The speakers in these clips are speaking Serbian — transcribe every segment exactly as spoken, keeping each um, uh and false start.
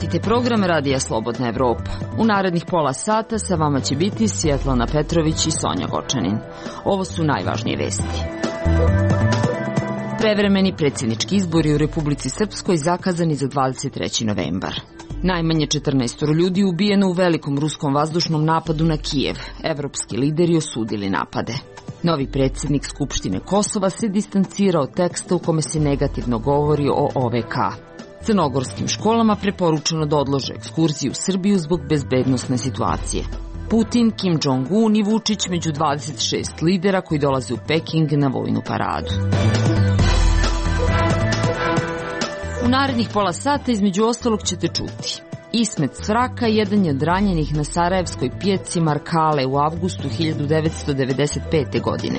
Pratite program Radija Slobodna Evropa. U narednih pola sata sa vama će biti Svjetlana Petrović i Sonja Gočanin. Ovo su najvažnije vesti. Prevremeni predsjednički izbori u Republici Srpskoj zakazani za dvadeset treći novembar. Najmanje četrnaest ljudi ubijeno u velikom ruskom vazdušnom napadu na Kijev. Evropski lideri osudili napade. Novi predsjednik Skupštine Kosova se distancirao od teksta u kome se negativno govori o O V K. Crnogorskim školama preporučeno da odlože ekskurziju u Srbiju zbog bezbednosne situacije. Putin, Kim Jong-un i Vučić među dvadeset šest lidera koji dolaze u Peking na vojnu paradu. U narednih pola sata između ostalog ćete čuti. Ismet Svraka jedan je od ranjenih na sarajevskoj pijaci Markale u avgustu hiljadu devetsto devedeset pete. godine.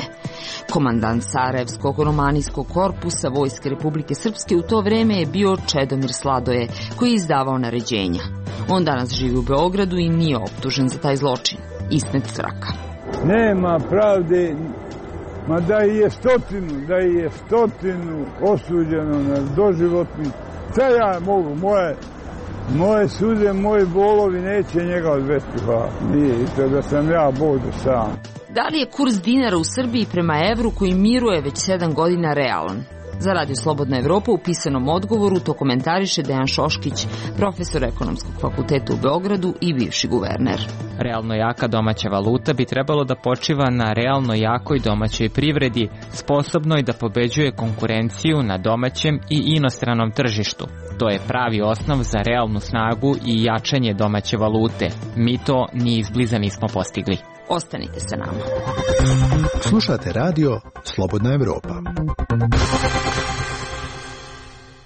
Komandant Sarajevskog romanijskog korpusa Vojske Republike Srpske u to vreme je bio Čedomir Sladoje, koji je izdavao naređenja. On danas živi u Beogradu i nije optužen za taj zločin. Ismet Svraka. Nema pravde, ma da je stotinu, da je stotinu osuđeno na doživotni. Šta ja mogu, moje... Moje suze, moji bolovi neće njega odvesti, pa nije, i to da sam ja Bog sam. Da li je kurs dinara u Srbiji prema evru koji miruje već sedam godina realan? Za Radio Slobodna Evropa u pisanom odgovoru to komentariše Dejan Šoškić, profesor Ekonomskog fakulteta u Beogradu i bivši guverner. Realno jaka domaća valuta bi trebalo da počiva na realno jakoj domaćoj privredi, sposobnoj da pobeđuje konkurenciju na domaćem i inostranom tržištu. To je pravi osnov za realnu snagu i jačanje domaće valute. Mi to ni izbliza nismo postigli. Ostanite sa nama. Slušate radio Slobodna Evropa.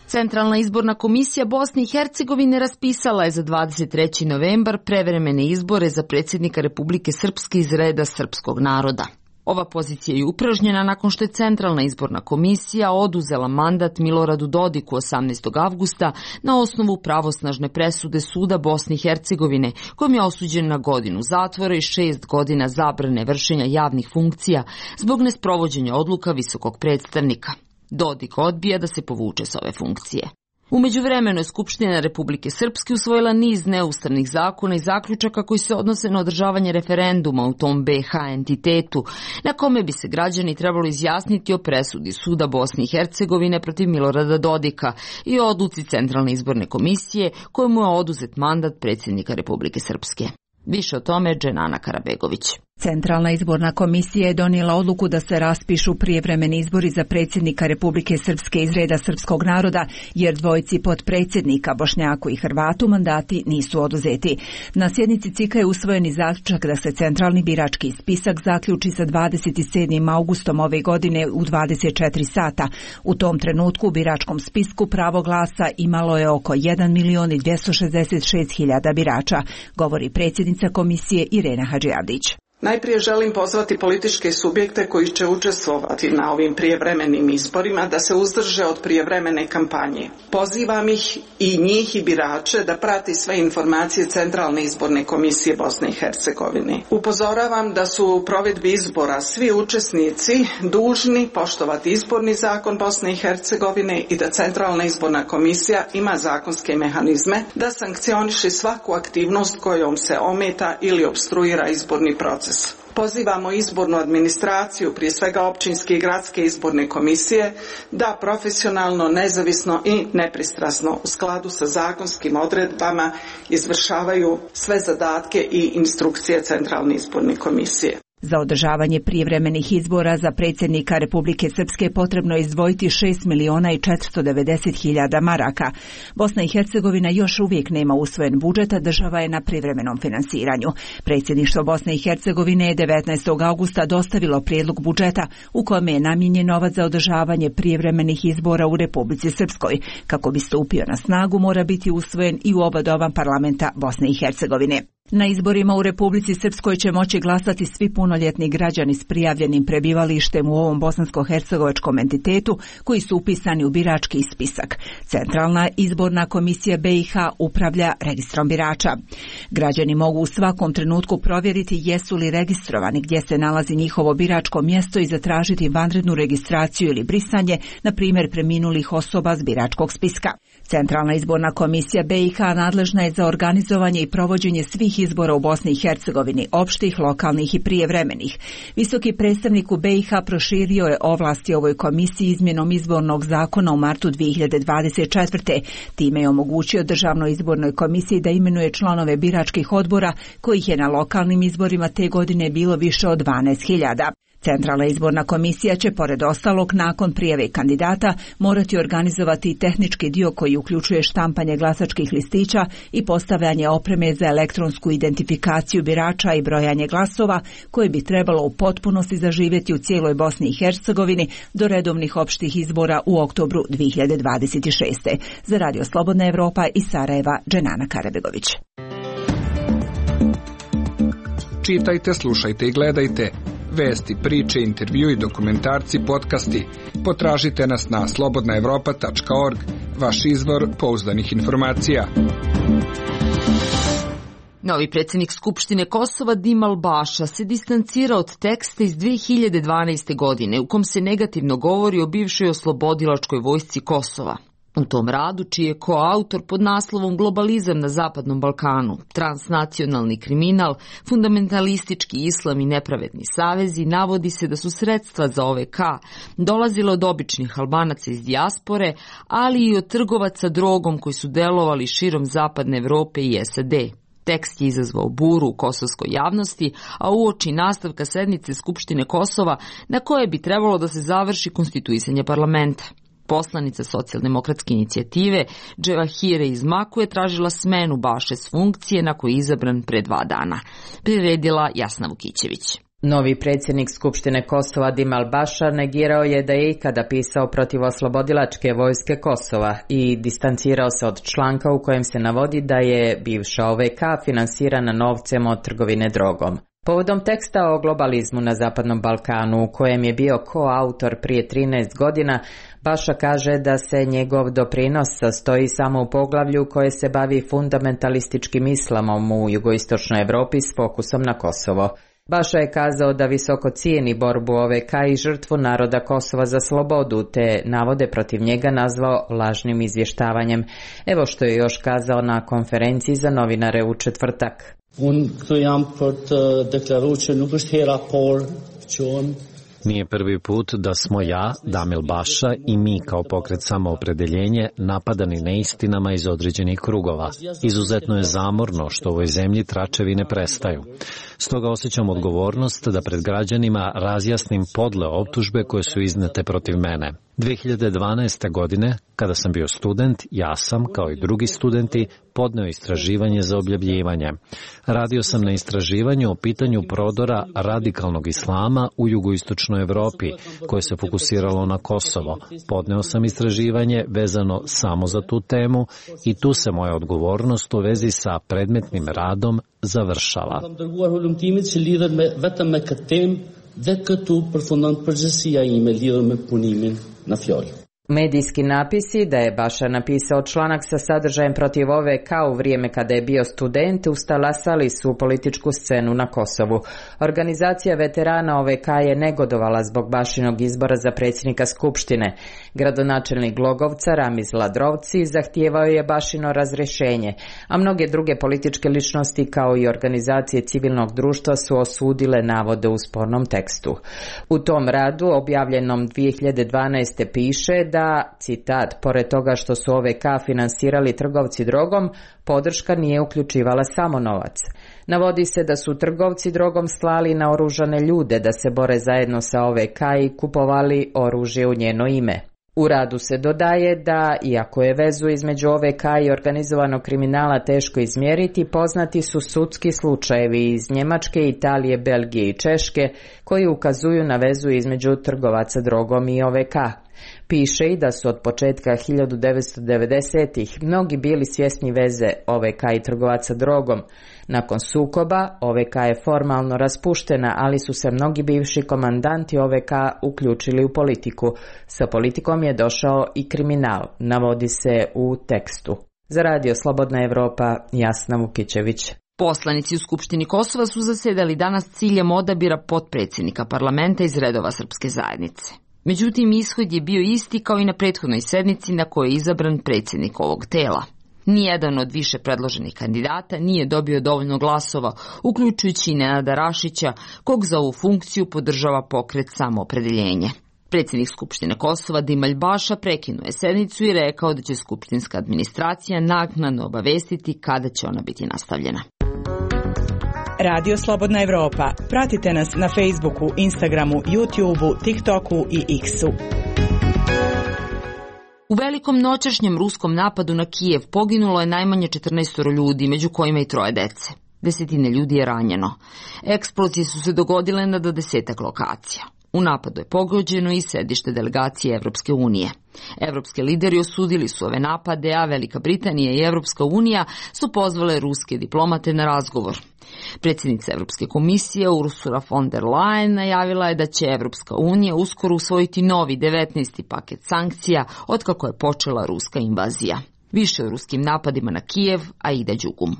Centralna izborna komisija Bosne i Hercegovine raspisala je za dvadeset treći novembar prevremene izbore za predsjednika Republike Srpske iz reda srpskog naroda. Ova pozicija je upražnjena nakon što je Centralna izborna komisija oduzela mandat Miloradu Dodiku osamnaestog avgusta na osnovu pravosnažne presude Suda Bosne i Hercegovine, kojom je osuđen na godinu zatvora i šest godina zabrane vršenja javnih funkcija zbog nesprovođenja odluka visokog predstavnika. Dodik odbija da se povuče s ove funkcije. U međuvremenu je Skupština Republike Srpske usvojila niz neustavnih zakona i zaključaka koji se odnose na održavanje referenduma u tom B H entitetu, na kome bi se građani trebalo izjasniti o presudi Suda Bosne i Hercegovine protiv Milorada Dodika i o odluci Centralne izborne komisije kojemu je oduzet mandat predsjednika Republike Srpske. Više o tome Dženana Karabegović. Centralna izborna komisija je donijela odluku da se raspišu prijevremeni izbori za predsjednika Republike Srpske iz reda srpskog naroda, jer dvojici potpredsjednika, Bošnjaku i Hrvatu, mandati nisu oduzeti. Na sjednici C I K-a je usvojeni zaključak da se centralni birački spisak zaključi sa dvadeset sedmim augustom ove godine u dvadeset četiri sata. U tom trenutku u biračkom spisku pravo glasa imalo je oko jedan milion dvjesto šezdeset šest hiljada birača, govori predsjednica komisije Irena Hadžiavdić. Najprije želim pozvati političke subjekte koji će učestvovati na ovim prijevremenim izborima da se uzdrže od prijevremene kampanje. Pozivam ih i njih i birače da prati sve informacije Centralne izborne komisije Bosne i Hercegovine. Upozoravam da su u provedbi izbora svi učesnici dužni poštovati izborni zakon Bosne i Hercegovine i da Centralna izborna komisija ima zakonske mehanizme da sankcioniše svaku aktivnost kojom se ometa ili opstruira izborni proces. Pozivamo izbornu administraciju, prije svega općinske i gradske izborne komisije, da profesionalno, nezavisno i nepristrasno u skladu sa zakonskim odredbama izvršavaju sve zadatke i instrukcije Centralne izborne komisije. Za održavanje prijevremenih izbora za predsjednika Republike Srpske potrebno je izdvojiti šest miliona i četiristo devedeset hiljada maraka. Bosna i Hercegovina još uvijek nema usvojen budžet, a država je na privremenom finansiranju. Predsjedništvo Bosne i Hercegovine je devetnaestog augusta dostavilo prijedlog budžeta u kome je namijenjen novac za održavanje prijevremenih izbora u Republici Srpskoj. Kako bi stupio na snagu, mora biti usvojen i u oba doma parlamenta Bosne i Hercegovine. Na izborima u Republici Srpskoj će moći glasati svi punoljetni građani s prijavljenim prebivalištem u ovom bosansko-hercegovačkom entitetu koji su upisani u birački spisak. Centralna izborna komisija B i H upravlja registrom birača. Građani mogu u svakom trenutku provjeriti jesu li registrovani, gdje se nalazi njihovo biračko mjesto i zatražiti vanrednu registraciju ili brisanje, na primjer preminulih osoba s biračkog spiska. Centralna izborna komisija B i H nadležna je za organizovanje i provođenje svih izbora u Bosni i Hercegovini, opštih, lokalnih i prijevremenih. Visoki predstavnik u B i H proširio je ovlasti ovoj komisiji izmjenom izbornog zakona u martu dvije hiljade dvadeset četvrte. Time je omogućio Državnoj izbornoj komisiji da imenuje članove biračkih odbora, kojih je na lokalnim izborima te godine bilo više od dvanaest hiljada. Centralna izborna komisija će, pored ostalog, nakon prijave kandidata morati organizovati tehnički dio koji uključuje štampanje glasačkih listića i postavljanje opreme za elektronsku identifikaciju birača i brojanje glasova, koje bi trebalo u potpunosti zaživjeti u cijeloj Bosni i Hercegovini do redovnih opštih izbora u oktobru dvije hiljade dvadeset šeste. Za Radio Slobodna Evropa iz Sarajeva, Dženana Karabegović. Čitajte, slušajte i gledajte. Vesti, priče, intervju i dokumentarci, podcasti. Potražite nas na slobodna evropa tačka org, vaš izvor pouzdanih informacija. Novi predsjednik Skupštine Kosova Dim Al-Baša se distancira od teksta iz dvije hiljade dvanaeste. godine u kom se negativno govori o bivšoj oslobodilačkoj vojsci Kosova. U tom radu, čiji je koautor pod naslovom Globalizam na Zapadnom Balkanu, transnacionalni kriminal, fundamentalistički islam i nepravedni savezi, navodi se da su sredstva za O V K dolazile od običnih Albanaca iz dijaspore, ali i od trgovaca drogom koji su delovali širom Zapadne Evrope i S A D. Tekst je izazvao buru u kosovskoj javnosti, a uoči nastavka sednice Skupštine Kosova, na koje bi trebalo da se završi konstituisanje parlamenta. Poslanica socijaldemokratske inicijative Dževahire Izmaku je tražila smenu Baše s funkcije na koju je izabran pre dva dana. Priredila Jasna Vukićević. Novi predsjednik Skupštine Kosova Dim Al-Baša negirao je da je ikada pisao protiv oslobodilačke vojske Kosova i distancirao se od članka u kojem se navodi da je bivša O V K finansirana novcem od trgovine drogom. Povodom teksta o globalizmu na Zapadnom Balkanu, u kojem je bio koautor prije trinaest godina, Baša kaže da se njegov doprinos sastoji samo u poglavlju koje se bavi fundamentalističkim islamom u jugoistočnoj Evropi s fokusom na Kosovo. Baša je kazao da visoko cijeni borbu O V K i žrtvu naroda Kosova za slobodu, te navode protiv njega nazvao lažnim izvještavanjem. Evo što je još kazao na konferenciji za novinare u četvrtak. Nije prvi put da smo ja, Damil Baša i mi kao pokret Samoopredeljenje napadani neistinama iz određenih krugova. Izuzetno je zamorno što u ovoj zemlji tračevi ne prestaju. Stoga osjećam odgovornost da pred građanima razjasnim podle optužbe koje su iznete protiv mene. dvije hiljade dvanaeste. godine, kada sam bio student, ja sam, kao i drugi studenti, podneo istraživanje za objavljivanje. Radio sam na istraživanju o pitanju prodora radikalnog islama u jugoistočnoj Evropi, koje se fokusiralo na Kosovo. Podneo sam istraživanje vezano samo za tu temu i tu se moja odgovornost u vezi sa predmetnim radom završava. dhe këtu përfundon përgjësia ime lidhur me punimin në fjalë. Medijski napisi da je Baša napisao članak sa sadržajem protiv O V K u vrijeme kada je bio student ustalasali su političku scenu na Kosovu. Organizacija veterana O V K je negodovala zbog Bašinog izbora za predsjednika Skupštine. Gradonačelnik Glogovca Ramiz Ladrovci zahtijevao je Bašino razrješenje, a mnoge druge političke ličnosti kao i organizacije civilnog društva su osudile navode u spornom tekstu. U tom radu, objavljenom dvije hiljade dvanaeste. piše da da, citat, pored toga što su O V K finansirali trgovci drogom, podrška nije uključivala samo novac. Navodi se da su trgovci drogom slali naoružane ljude da se bore zajedno sa O V K i kupovali oružje u njeno ime. U radu se dodaje da, iako je vezu između O V K i organizovanog kriminala teško izmjeriti, poznati su sudski slučajevi iz Njemačke, Italije, Belgije i Češke koji ukazuju na vezu između trgovaca drogom i O V K. Piše i da su od početka hiljadu devetsto devedesetih mnogi bili svjesni veze O V K i trgovaca drogom. Nakon sukoba O V K je formalno raspuštena, ali su se mnogi bivši komandanti O V K uključili u politiku. Sa politikom je došao i kriminal, navodi se u tekstu. Za Radio Slobodna Evropa, Jasna Vukićević. Poslanici u Skupštini Kosova su zasedali danas ciljem odabira potpredsjednika parlamenta iz redova srpske zajednice. Međutim, ishod je bio isti kao i na prethodnoj sednici na kojoj je izabran predsjednik ovog tela. Nijedan od više predloženih kandidata nije dobio dovoljno glasova, uključujući i Nenada Rašića, kog za ovu funkciju podržava pokret Samoopredeljenje. Predsjednik Skupštine Kosova Dimalj Baša prekinuo je sednicu i rekao da će skupštinska administracija naknadno obavestiti kada će ona biti nastavljena. Radio Slobodna Evropa. Pratite nas na Facebooku, Instagramu, YouTubeu, TikToku i X-u. U velikom noćašnjem ruskom napadu na Kijev poginulo je najmanje četrnaest ljudi, među kojima i troje dece. Desetine ljudi je ranjeno. Eksplozije su se dogodile na do desetak lokacija. U napadu je pogođeno i sedište delegacije Evropske unije. Evropski lideri osudili su ove napade, a Velika Britanija i Evropska unija su pozvale ruske diplomate na razgovor. Predsjednica Evropske komisije Ursula von der Leyen najavila je da će Evropska unija uskoro usvojiti novi devetnaesti paket sankcija otkako je počela ruska invazija. Više o ruskim napadima na Kijev, Aida Đugum.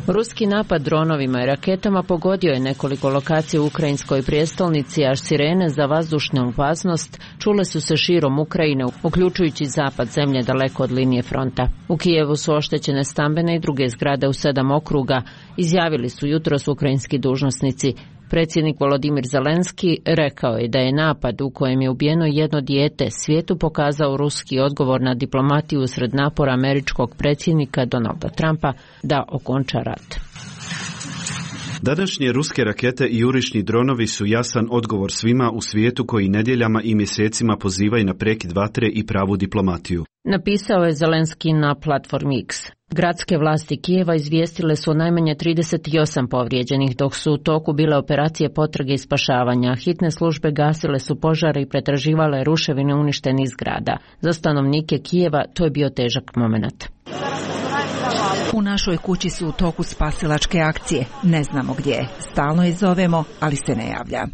Ruski napad dronovima i raketama pogodio je nekoliko lokacija u ukrajinskoj prijestolnici, a sirene za vazdušnu opasnost čule su se širom Ukrajine, uključujući zapad zemlje daleko od linije fronta. U Kijevu su oštećene stambene i druge zgrade u sedam okruga, izjavili su jutros ukrajinski dužnosnici. Predsjednik Volodimir Zelenski rekao je da je napad u kojem je ubijeno jedno dijete svijetu pokazao ruski odgovor na diplomatiju usred napora američkog predsjednika Donalda Trumpa da okonča rat. Današnje ruske rakete i jurišni dronovi su jasan odgovor svima u svijetu koji nedjeljama i mjesecima pozivaju na prekid vatre i pravu diplomatiju. Napisao je Zelenski na platformi X. Gradske vlasti Kijeva izvijestile su o najmanje trideset osam povrijeđenih, dok su u toku bile operacije potrage i spašavanja. Hitne službe gasile su požare i pretraživale ruševine uništenih zgrada. Za stanovnike Kijeva to je bio težak moment. U našoj kući su u toku spasilačke akcije. Ne znamo gdje je. Stalno je zovemo, ali se ne javlja.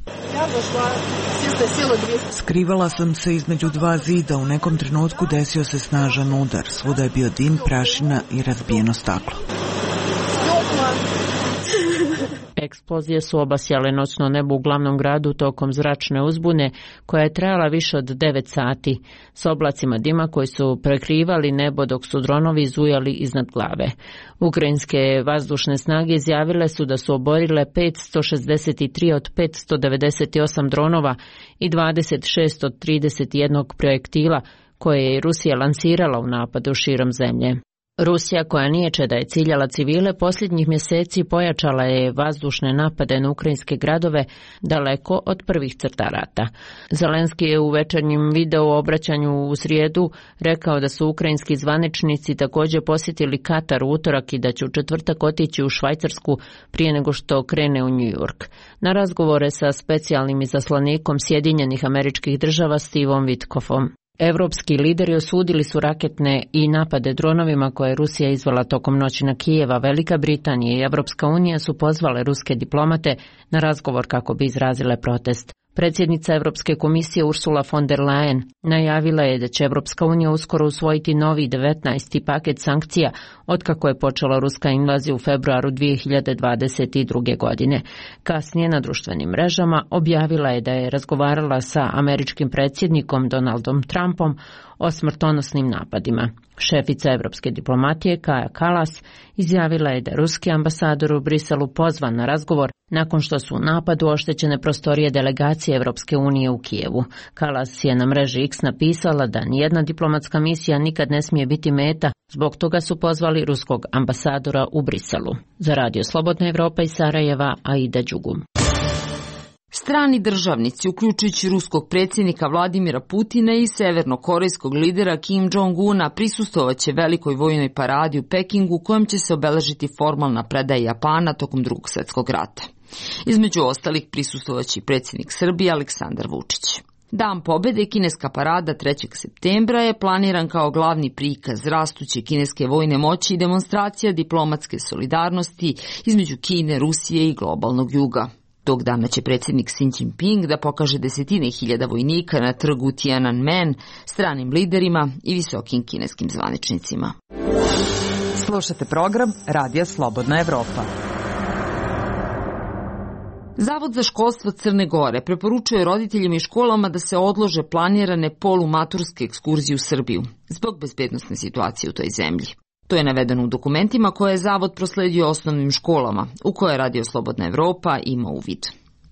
Skrivala sam se između dva zida. U nekom trenutku desio se snažan udar. Svuda je bio dim, prašina i razbijeno staklo. Eksplozije su obasjale noćno nebo u glavnom gradu tokom zračne uzbune koja je trajala više od devet sati, s oblacima dima koji su prekrivali nebo dok su dronovi zujali iznad glave. Ukrajinske vazdušne snage izjavile su da su oborile petsto šezdeset tri od petsto devedeset osam dronova i dvadeset šest od trideset jedan projektila koje je Rusija lansirala u napadu širom zemlje. Rusija, koja niječe da je ciljala civile, posljednjih mjeseci pojačala je vazdušne napade na ukrajinske gradove daleko od prvih crta rata. Zelenski je u večernjem video obraćanju u srijedu rekao da su ukrajinski zvaničnici također posjetili Katar u utorak i da će u četvrtak otići u Švajcarsku prije nego što krene u New York. Na razgovore sa specijalnim izaslanikom Sjedinjenih Američkih Država Stevom Witkoffom. Evropski lideri osudili su raketne i napade dronovima koje je Rusija izvela tokom noći na Kijeva. Velika Britanija i Evropska unija su pozvale ruske diplomate na razgovor kako bi izrazile protest. Predsjednica Europske komisije Ursula von der Leyen najavila je da će Evropska unija uskoro usvojiti novi devetnaesti paket sankcija otkako je počela ruska invazija u februaru dvije hiljade dvadeset druge. godine. Kasnije na društvenim mrežama objavila je da je razgovarala sa američkim predsjednikom Donaldom Trumpom o smrtonosnim napadima. Šefica evropske diplomatije Kaja Kallas izjavila je da je ruski ambasador u Briselu pozvan na razgovor nakon što su u napadu oštećene prostorije delegacije Evropske unije u Kijevu. Kallas je na mreži X napisala da nijedna diplomatska misija nikad ne smije biti meta, zbog toga su pozvali ruskog ambasadora u Briselu. Za Radio Slobodna Evropa iz Sarajeva, Aida Đugum. Strani državnici, uključujući ruskog predsjednika Vladimira Putina i severnokorejskog lidera Kim Jong-una, prisustvovaće velikoj vojnoj paradi u Pekingu kojom će se obeležiti formalna predaja Japana tokom drugog svjetskog rata. Između ostalih prisustvovaće i predsjednik Srbije Aleksandar Vučić. Dan pobede, kineska parada trećeg septembra, je planiran kao glavni prikaz rastuće kineske vojne moći i demonstracija diplomatske solidarnosti između Kine, Rusije i globalnog juga. Tog dana će predsjednik Xi Jinping da pokaže desetine hiljada vojnika na trgu Tiananmen stranim liderima i visokim kineskim zvaničnicima. Slušate program Radija Slobodna Evropa. Zavod za školstvo Crne Gore preporučuje roditeljima i školama da se odlože planirane polumaturske ekskurzije u Srbiju zbog bezbednosne situacije u toj zemlji. To je navedeno u dokumentima koje je Zavod prosledio osnovnim školama, u koje Radio Slobodna Evropa ima uvid.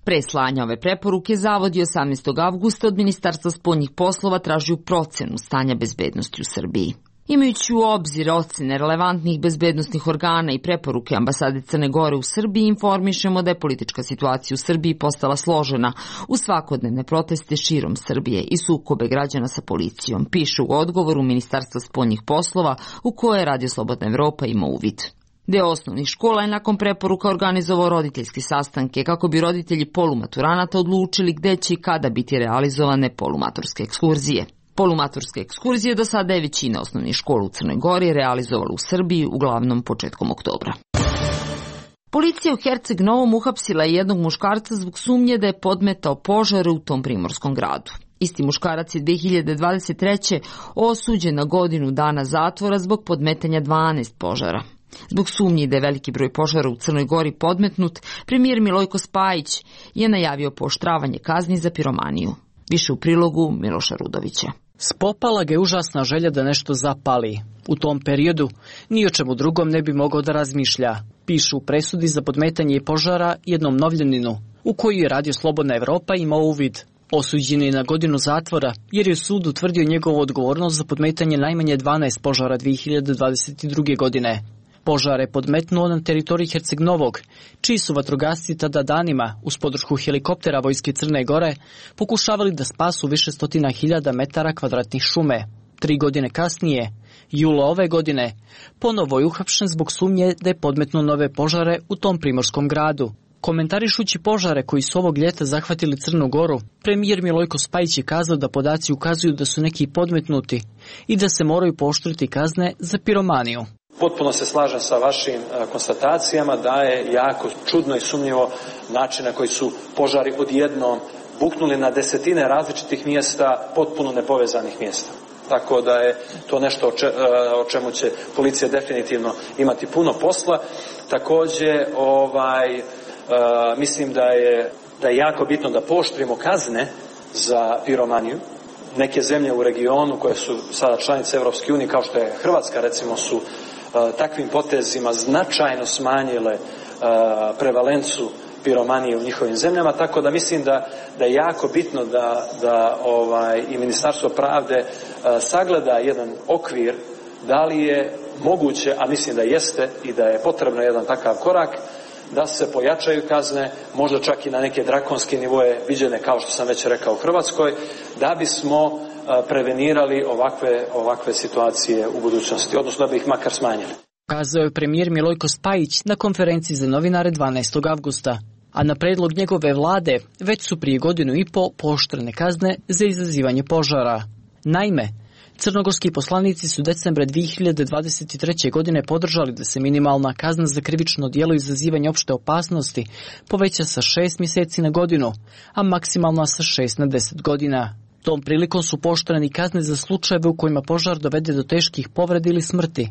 Pre slanja ove preporuke, Zavod je osamnaestog avgusta od Ministarstva spoljnih poslova tražio procenu stanja bezbednosti u Srbiji. Imajući u obzir ocene relevantnih bezbednosnih organa i preporuke ambasade Crne Gore u Srbiji, informišemo da je politička situacija u Srbiji postala složena uz svakodnevne proteste širom Srbije i sukobe građana sa policijom, piše u odgovoru Ministarstva spoljnih poslova u koje Radio Slobodna Evropa ima uvid. Deo osnovnih škola je nakon preporuka organizovao roditeljske sastanke kako bi roditelji polumaturanata odlučili gde će i kada biti realizovane polumaturske ekskurzije. Polumaturske ekskurzije do sada je većina osnovnih škola u Crnoj Gori realizovala u Srbiji, uglavnom početkom oktobra. Policija u Herceg Novom uhapsila je jednog muškarca zbog sumnje da je podmetao požare u tom primorskom gradu. Isti muškarac je dve hiljade dvadeset treće osuđen na godinu dana zatvora zbog podmetanja dvanaest požara. Zbog sumnji da je veliki broj požara u Crnoj Gori podmetnut, premijer Milojko Spajić je najavio pooštravanje kazni za piromaniju. Više u prilogu Miloša Rudovića. Spopala ga je užasna želja da nešto zapali. U tom periodu ni o čemu drugom ne bi mogao da razmišlja, pišu u presudi za podmetanje požara jednom novljaninu, u koju je Radio Slobodna Evropa imao uvid. Osuđen je na godinu zatvora jer je sud utvrdio njegovu odgovornost za podmetanje najmanje dvanaest požara dve hiljade dvadeset druge. godine. Požare podmetnuo na teritoriji Herceg Novog, čiji su vatrogasci tada danima, uz podršku helikoptera Vojske Crne Gore, pokušavali da spasu više stotina hiljada metara kvadratnih šume. Tri godine kasnije, jula ove godine, ponovo je uhapšen zbog sumnje da je podmetnuo nove požare u tom primorskom gradu. Komentarišući požare koji su ovog ljeta zahvatili Crnu Goru, premijer Milojko Spajić je kazao da podaci ukazuju da su neki podmetnuti i da se moraju pooštriti kazne za piromaniju. Potpuno se slažem sa vašim konstatacijama da je jako čudno i sumnjivo način na koji su požari odjednom buknuli na desetine različitih mjesta, potpuno nepovezanih mjesta. Tako da je to nešto o čemu će policija definitivno imati puno posla. Također, ovaj, mislim da je, da je jako bitno da pooštrimo kazne za piromaniju. Neke zemlje u regionu koje su sada članice Evropske unije, kao što je Hrvatska, recimo, su takvim potezima značajno smanjile prevalencu piromanije u njihovim zemljama, tako da mislim da, da je jako bitno da, da ovaj, i Ministarstvo pravde sagleda jedan okvir, da li je moguće, a mislim da jeste i da je potrebno jedan takav korak, da se pojačaju kazne, možda čak i na neke drakonske nivoje viđene, kao što sam već rekao, u Hrvatskoj, da bismo prevenirali ovakve, ovakve situacije u budućnosti, odnosno da bi ih makar smanjili. Kazao je premijer Milojko Spajić na konferenciji za novinare dvanaestog avgusta, a na predlog njegove vlade već su prije godinu i po pooštrene kazne za izazivanje požara. Naime, crnogorski poslanici su decembra dve hiljade dvadeset treće. godine podržali da se minimalna kazna za krivično djelo izazivanja opšte opasnosti poveća sa šest mjeseci na godinu, a maksimalna sa šest na deset godina. Tom prilikom su pooštreni kazne za slučajeve u kojima požar dovede do teških povreda ili smrti.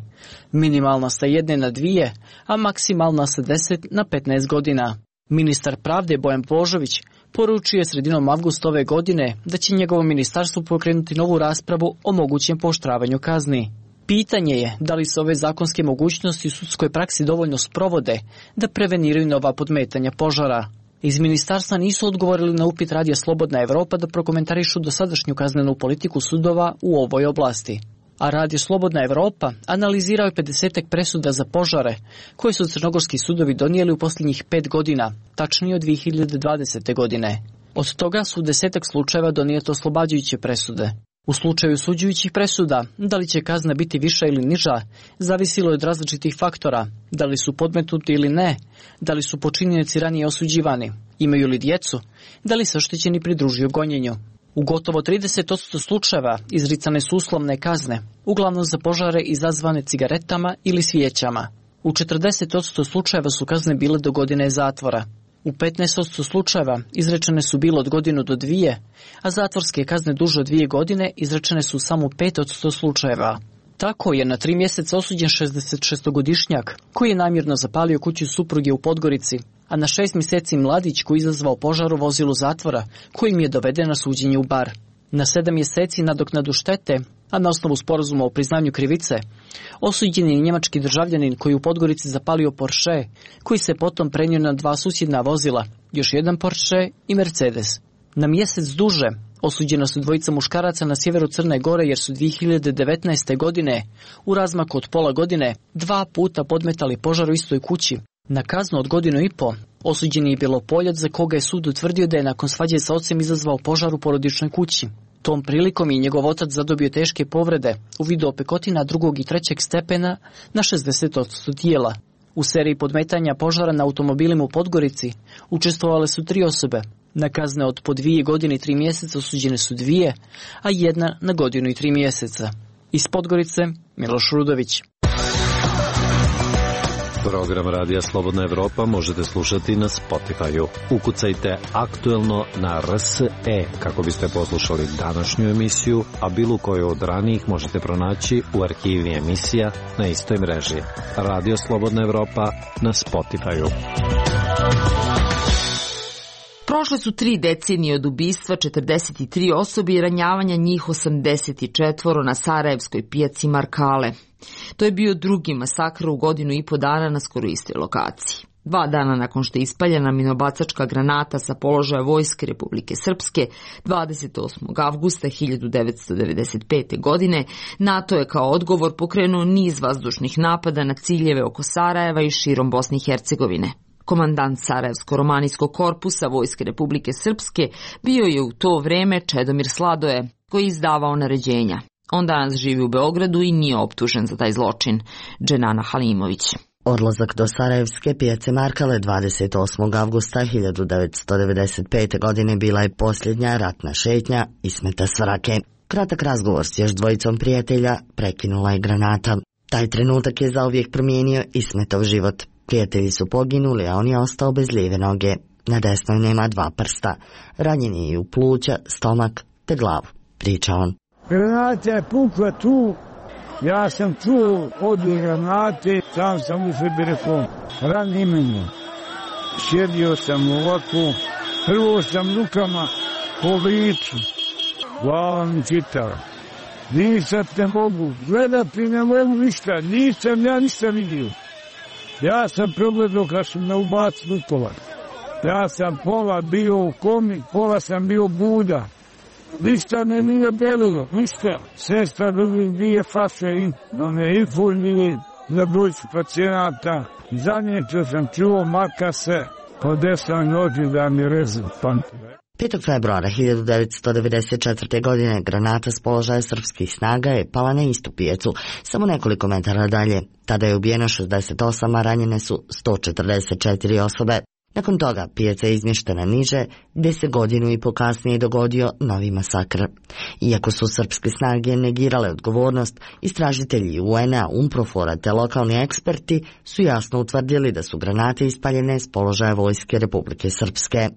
Minimalna sa jedne na dvije, a maksimalna sa deset na petnaest godina. Ministar pravde Bojan Božović poručio je sredinom avgusta ove godine da će njegovo ministarstvo pokrenuti novu raspravu o mogućem pooštravanju kazni. Pitanje je da li se ove zakonske mogućnosti u sudskoj praksi dovoljno sprovode da preveniraju nova podmetanja požara. Iz ministarstva nisu odgovorili na upit Radija Slobodna Evropa da prokomentarišu dosadašnju kaznenu politiku sudova u ovoj oblasti. A Radio Slobodna Evropa analizirao je pedesetak presuda za požare koje su crnogorski sudovi donijeli u posljednjih pet godina, tačnije od dve hiljade dvadesete. godine. Od toga su u desetak slučajeva donijete oslobađajuće presude. U slučaju suđujućih presuda, da li će kazna biti viša ili niža, zavisilo je od različitih faktora, da li su podmetnuti ili ne, da li su počinioci ranije osuđivani, imaju li djecu, da li se oštećeni pridružuju gonjenju. U gotovo trideset posto slučajeva izricane su uslovne kazne, uglavnom za požare izazvane cigaretama ili svijećama. U četrdeset posto slučajeva su kazne bile do godine zatvora. U petnaest posto slučajeva izrečene su bilo od godinu do dvije, a zatvorske kazne duže od dvije godine izrečene su samo u pet posto slučajeva. Tako je na tri mjeseca osuđen šezdesetšestogodišnjak koji je namjerno zapalio kuću supruge u Podgorici, a na šest mjeseci mladić koji izazvao požar u vozilu zatvora kojim je doveden na suđenje u Bar. Na sedam mjeseci nadoknadu štete, a na osnovu sporazuma o priznanju krivice, osuđen je njemački državljanin koji u Podgorici zapalio Porsche, koji se potom prenio na dva susjedna vozila, još jedan Porsche i Mercedes. Na mjesec duže osuđena su dvojica muškaraca na sjeveru Crne Gore jer su dvije hiljade devetnaeste. godine u razmaku od pola godine dva puta podmetali požar u istoj kući. Na kaznu od godinu i po osuđen je Bjelopoljac za koga je sud utvrdio da je nakon svađe sa ocem izazvao požar u porodičnoj kući. Tom prilikom je njegov otac zadobio teške povrede u vidu opekotina drugog i trećeg stepena na šezdeset posto tijela. U seriji podmetanja požara na automobilima u Podgorici učestvovale su tri osobe. Na kazne od po dvije godine i tri mjeseca osuđene su dvije, a jedna na godinu i tri mjeseca. Iz Podgorice, Miloš Rudović. Program Radija Slobodna Evropa možete slušati na Spotify-u. Ukucajte aktuelno na R S E kako biste poslušali današnju emisiju, a bilo koju od ranijih možete pronaći u arhivi emisija na istoj mreži. Radio Slobodna Evropa na Spotify-u. Prošle su tri decenije od ubistva četrdeset tri osobe i ranjavanja njih osamdeset četiri na sarajevskoj pijaci Markale. To je bio drugi masakr u godinu i po dana na skoro istoj lokaciji. Dva dana nakon što je ispaljena minobacačka granata sa položaja Vojske Republike Srpske dvadeset osmog avgusta hiljadu devetsto devedeset pete. godine, NATO je kao odgovor pokrenuo niz vazdušnih napada na ciljeve oko Sarajeva i širom Bosne i Hercegovine. Komandant Sarajevsko-romanijskog korpusa Vojske Republike Srpske bio je u to vreme Čedomir Sladoje, koji je izdavao naređenja. On danas živi u Beogradu i nije optužen za taj zločin. Dženana Halimović. Odlazak do Sarajevske pijace Markale dvadeset osmog avgusta hiljadu devetsto devedeset pete. godine bila je posljednja ratna šetnja Ismeta Svrake. Kratak razgovor s još dvojicom prijatelja prekinula je granata. Taj trenutak je zauvijek promijenio Ismetov život. Prijatelji su poginuli, a on je ostao bez lijeve noge. Na desnoj nema dva prsta. Ranjen je i u pluća, stomak te glavu, priča on. Granata je pukla tu, ja sam čuo od granate, sam sam u sebi rekao, rani mene. Sjedio sam ovako, prvo sam rukama po licu, glava mi čitala. Nisam te mogu, gledati ne mogu ništa, nisam ja ništa vidio. Ja sam progledao kad su me ubacili u pola. Ja sam pola bio u komi, pola sam bio buda. Ništa ne nije belilo, ništa. Sestra drugi dvije faše i one infulnije za brojcu pacijenata. Zadnje sam čuo maka se po desnoj noći da mi rezu pamtile. petog februara hiljadu devetsto devedeset četvrte. godine granata s položaja srpskih snaga je pala na istu pijacu, samo nekoliko metara dalje. Tada je ubijeno šezdeset osam, a ranjene su sto četrdeset četiri osobe. Nakon toga pijaca je izmještena niže, gdje se godinu i po kasnije dogodio novi masakr. Iako su srpske snage negirale odgovornost, istražitelji U N A, UNPROFOR-a te lokalni eksperti su jasno utvrdili da su granate ispaljene s položaja Vojske Republike Srpske.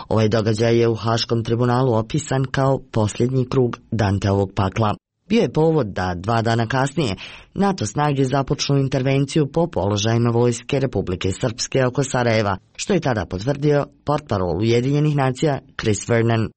Ovaj događaj je u Haškom tribunalu opisan kao posljednji krug Danteovog pakla. Bio je povod da dva dana kasnije NATO snage započnu intervenciju po položajima Vojske Republike Srpske oko Sarajeva, što je tada potvrdio portparol Ujedinjenih nacija Chris Vernon.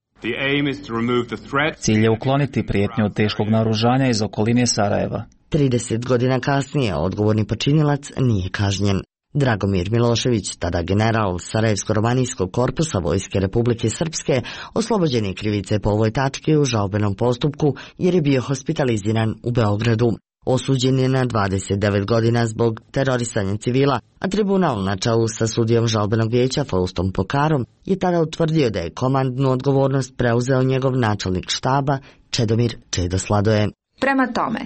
Cilj je ukloniti prijetnju od teškog naoružanja iz okoline Sarajeva. trideset godina kasnije odgovorni počinilac nije kažnjen. Dragomir Milošević, tada general Sarajevsko-romanijskog korpusa Vojske Republike Srpske, oslobođen je krivice po ovoj tački u žalbenom postupku jer je bio hospitaliziran u Beogradu. Osuđen je na dvadeset devet godina zbog terorisanja civila, a tribunal na čelu sa sudijom žalbenog vijeća Faustom Pokarom je tada utvrdio da je komandnu odgovornost preuzeo njegov načelnik štaba Čedomir Čedo Sladoje. Prema tome,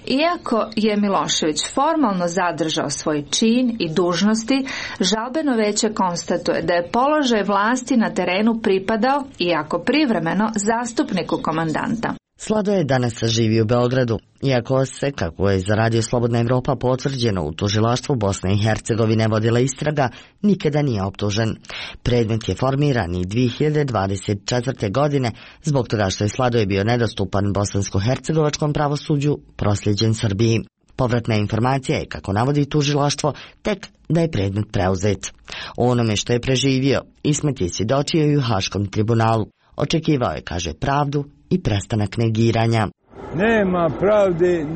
iako je Milošević formalno zadržao svoj čin i dužnosti, žalbeno veće konstatuje da je položaj vlasti na terenu pripadao, iako privremeno, zastupniku komandanta. Slado je danas živi u Beogradu, iako se, kako je za Radio Slobodna Evropa potvrđeno u tužilaštvu Bosne i Hercegovine vodila istraga, nikada nije optužen. Predmet je formiran i dvije hiljade dvadeset četvrte. godine zbog toga što je Slado bio nedostupan bosansko-hercegovačkom pravosuđu, prosljeđen Srbiji. Povratna informacija je, kako navodi tužilaštvo, tek da je predmet preuzet. O onome što je preživio, Ismet je svjedočio i u Haškom tribunalu. Očekivao je, kaže, pravdu i prestanak negiranja. Nema pravde,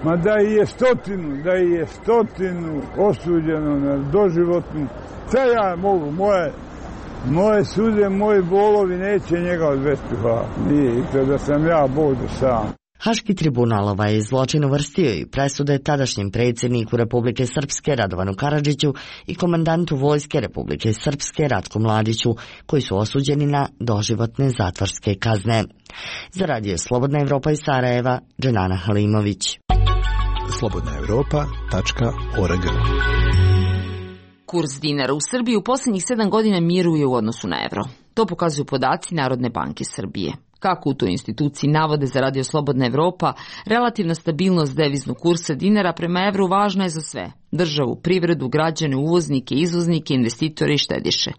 ma da je stotinu, da je stotinu osuđeno na doživotnu. Šta ja mogu, moje, moje suze, moji bolovi neće njega odvesti, hvala. Nije, i to da sam ja Bože sam. Haški tribunal ovaj zločin uvrstio i presude tadašnjem predsjedniku Republike Srpske Radovanu Karadžiću i komandantu vojske Republike Srpske Ratku Mladiću, koji su osuđeni na doživotne zatvorske kazne. Za Radio Slobodna Evropa iz Sarajeva, Dženana Halimović. slobodna evropa tačka org. Kurs dinara u Srbiji u posljednjih sedam godina miruje u odnosu na evro. To pokazuju podaci Narodne banke Srbije. Kako u toj instituciji navode za Radio Slobodna Evropa, relativna stabilnost deviznog kursa dinara prema evru važna je za sve. Državu, privredu, građane, uvoznike, izvoznike, investitore i štediše.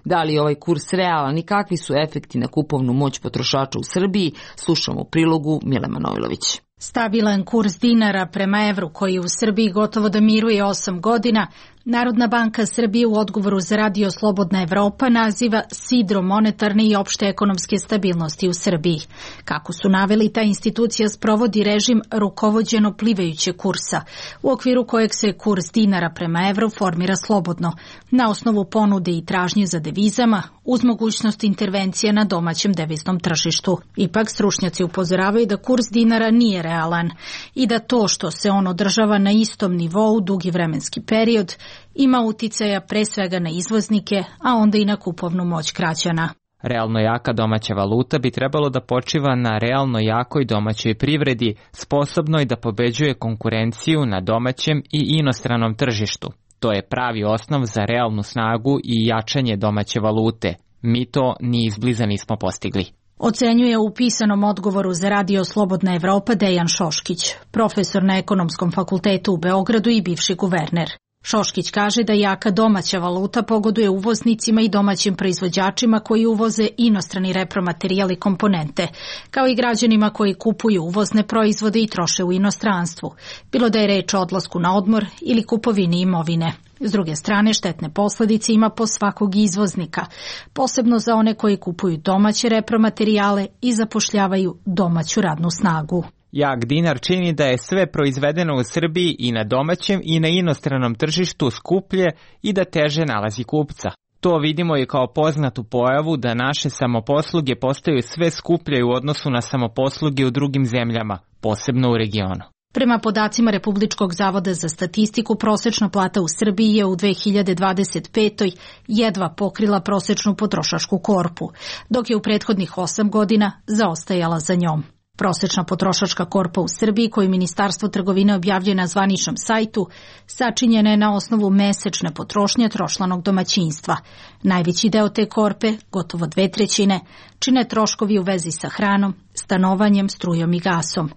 Da li je ovaj kurs realan i kakvi su efekti na kupovnu moć potrošača u Srbiji, slušamo u prilogu Mile Manojlović. Stabilan kurs dinara prema evru koji u Srbiji gotovo da miruje osam godina, Narodna banka Srbije u odgovoru za Radio Slobodna Evropa naziva sidrom monetarne i opšte ekonomske stabilnosti u Srbiji. Kako su naveli, ta institucija sprovodi režim rukovođeno plivajuće kursa, u okviru kojeg se kurs dinara prema evru formira slobodno, na osnovu ponude i tražnje za devizama, uz mogućnost intervencije na domaćem deviznom tržištu. Ipak, stručnjaci upozoravaju da kurs dinara nije realan i da to što se on održava na istom nivou dugi vremenski period ima uticaja pre svega na izvoznike, a onda i na kupovnu moć građana. Realno jaka domaća valuta bi trebalo da počiva na realno jakoj domaćoj privredi, sposobnoj da pobeđuje konkurenciju na domaćem i inostranom tržištu. To je pravi osnov za realnu snagu i jačanje domaće valute. Mi to ni izbliza nismo postigli. Ocenjuje u pisanom odgovoru za Radio Slobodna Evropa Dejan Šoškić, profesor na Ekonomskom fakultetu u Beogradu i bivši guverner. Šoškić kaže da jaka domaća valuta pogoduje uvoznicima i domaćim proizvođačima koji uvoze inostrani repromaterijal i komponente, kao i građanima koji kupuju uvozne proizvode i troše u inostranstvu, bilo da je reč o odlasku na odmor ili kupovini imovine. S druge strane, štetne posljedice ima po svakog izvoznika, posebno za one koji kupuju domaće repromaterijale i zapošljavaju domaću radnu snagu. Jak dinar čini da je sve proizvedeno u Srbiji i na domaćem i na inostranom tržištu skuplje i da teže nalazi kupca. To vidimo i kao poznatu pojavu da naše samoposluge postaju sve skuplje u odnosu na samoposluge u drugim zemljama, posebno u regionu. Prema podacima Republičkog zavoda za statistiku, prosečna plata u Srbiji je u dve hiljade dvadeset petoj. jedva pokrila prosečnu potrošačku korpu, dok je u prethodnih osam godina zaostajala za njom. Prosečna potrošačka korpa u Srbiji, koju Ministarstvo trgovine objavljuje na zvaničnom sajtu, sačinjena je na osnovu mesečne potrošnje trošlanog domaćinstva. Najveći deo te korpe, gotovo dve trećine, čine troškovi u vezi sa hranom, stanovanjem, strujom i gasom.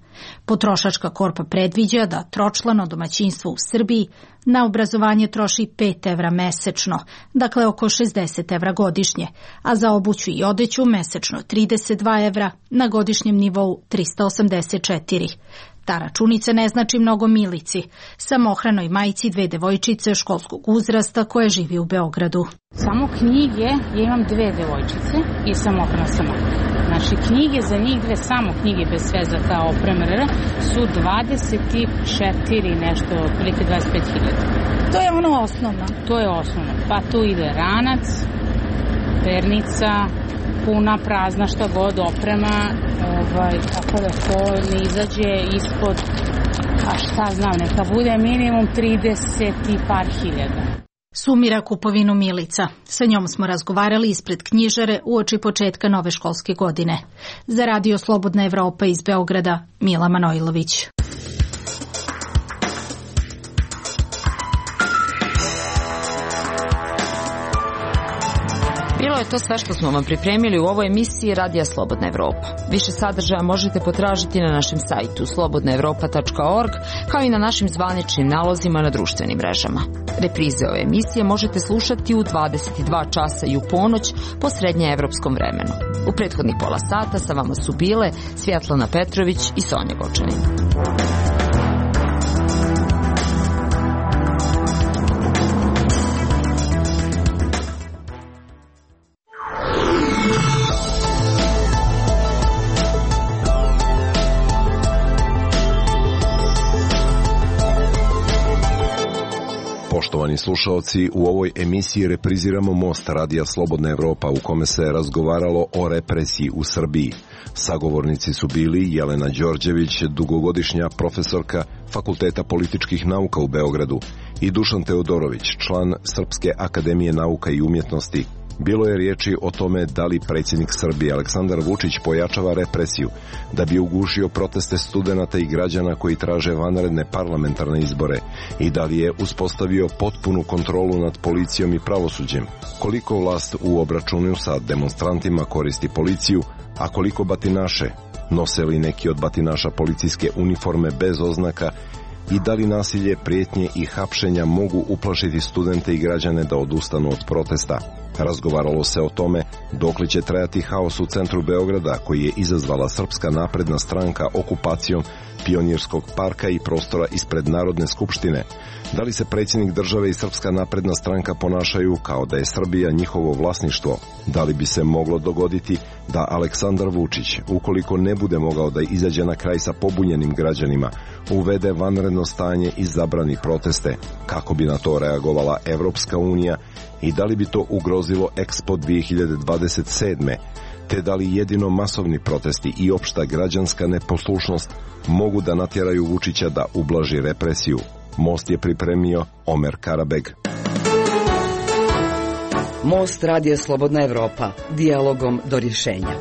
Potrošačka korpa predviđa da tročlano domaćinstvo u Srbiji na obrazovanje troši pet evra mesečno, dakle oko šezdeset evra godišnje, a za obuću i odeću mesečno trideset dva evra, na godišnjem nivou trista osamdeset četiri. Ta računica ne znači mnogo Milici, samohranoj majci dve devojčice školskog uzrasta koje živi u Beogradu. Samo knjige, ja imam dve devojčice i samohrana sama. Znači knjige za njih dve, samo knjige bez sve za ta oprema su dvadeset četiri nešto, prilike dvadeset pet hiljada. To je ono osnovno? To je osnovno. Pa tu ide ranac, pernica, puna, prazna, šta god oprema, ovaj, tako da to ne izađe ispod, a šta znam, neka bude minimum trideset i par hiljada. Sumira kupovinu Milica. Sa njom smo razgovarali ispred knjižare uoči početka nove školske godine. Za Radio Slobodna Evropa iz Beograda, Mila Manojlović. Bilo je to sve što smo vam pripremili u ovoj emisiji Radija Slobodna Evropa. Više sadržaja možete potražiti na našem sajtu slobodna evropa tačka org, kao i na našim zvaničnim nalozima na društvenim mrežama. Reprize ove emisije možete slušati u dvadeset dva časa i u ponoć po srednjeevropskom vremenu. U prethodnih pola sata sa vama su bile Svjetlana Petrović i Sonja Gočanin. Poštovani slušaoci, u ovoj emisiji repriziramo Most Radija Slobodna Evropa u kome se razgovaralo o represiji u Srbiji. Sagovornici su bili Jelena Đorđević, dugogodišnja profesorka Fakulteta političkih nauka u Beogradu, i Dušan Teodorović, član Srpske akademije nauka i umjetnosti. Bilo je riječi o tome da li predsjednik Srbije Aleksandar Vučić pojačava represiju da bi ugušio proteste studenata i građana koji traže vanredne parlamentarne izbore i da li je uspostavio potpunu kontrolu nad policijom i pravosuđem, koliko vlast u obračunu sa demonstrantima koristi policiju, a koliko batinaše, nose li neki od batinaša policijske uniforme bez oznaka i da li nasilje, prijetnje i hapšenja mogu uplašiti studente i građane da odustanu od protesta. Razgovaralo se o tome dokle će trajati haos u centru Beograda koji je izazvala Srpska napredna stranka okupacijom Pionirskog parka i prostora ispred Narodne skupštine. Da li se predsjednik države i Srpska napredna stranka ponašaju kao da je Srbija njihovo vlasništvo? Da li bi se moglo dogoditi da Aleksandar Vučić, ukoliko ne bude mogao da izađe na kraj sa pobunjenim građanima, uvede vanredno stanje i zabrani proteste? Kako bi na to reagovala Evropska unija i da li bi to ugrozilo Expo dvije hiljade dvadeset sedme? Te da li jedino masovni protesti i opšta građanska neposlušnost mogu da natjeraju Vučića da ublaži represiju? Most je pripremio Omer Karabeg. Most Radija Slobodna Evropa, dijalogom do rješenja.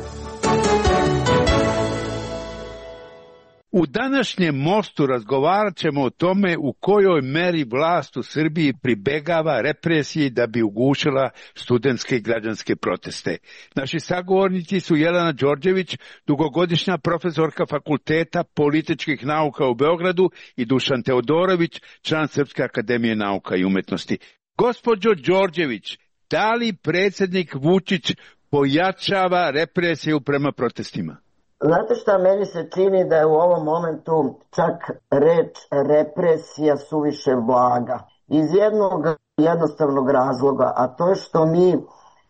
U današnjem Mostu razgovarat ćemo o tome u kojoj meri vlast u Srbiji pribegava represiji da bi ugušila studentske i građanske proteste. Naši sagovornici su Jelena Đorđević, dugogodišnja profesorka Fakulteta političkih nauka u Beogradu, i Dušan Teodorović, član Srpske akademije nauka i umjetnosti. Gospođo Đorđević, da li predsjednik Vučić pojačava represiju prema protestima? Znate šta, meni se čini da je u ovom momentu čak reč represija suviše blaga. Iz jednog jednostavnog razloga, a to je što mi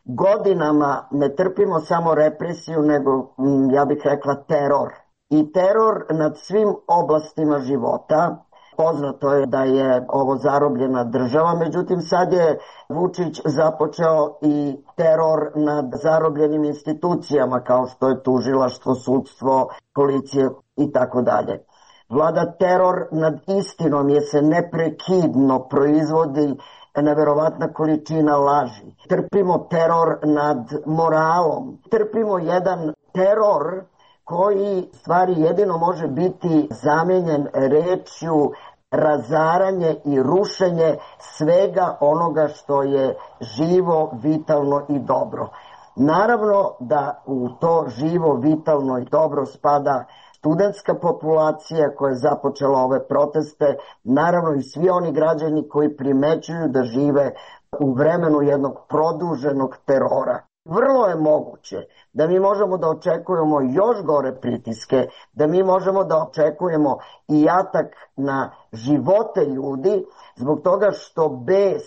godinama ne trpimo samo represiju, nego, ja bih rekla, teror. I teror nad svim oblastima života. Poznato je da je ovo zarobljena država, međutim sad je Vučić započeo i teror nad zarobljenim institucijama kao što je tužilaštvo, sudstvo, policije i tako dalje. Vlada teror nad istinom jer se neprekidno proizvodi neverovatna količina laži. Trpimo teror nad moralom. Trpimo jedan teror koji stvari jedino može biti zamijenjen rečju razaranje i rušenje svega onoga što je živo, vitalno i dobro. Naravno da u to živo, vitalno i dobro spada studentska populacija koja je započela ove proteste, naravno i svi oni građani koji primećuju da žive u vremenu jednog produženog terora. Vrlo je moguće da mi možemo da očekujemo još gore pritiske, da mi možemo da očekujemo i atak na živote ljudi zbog toga što bes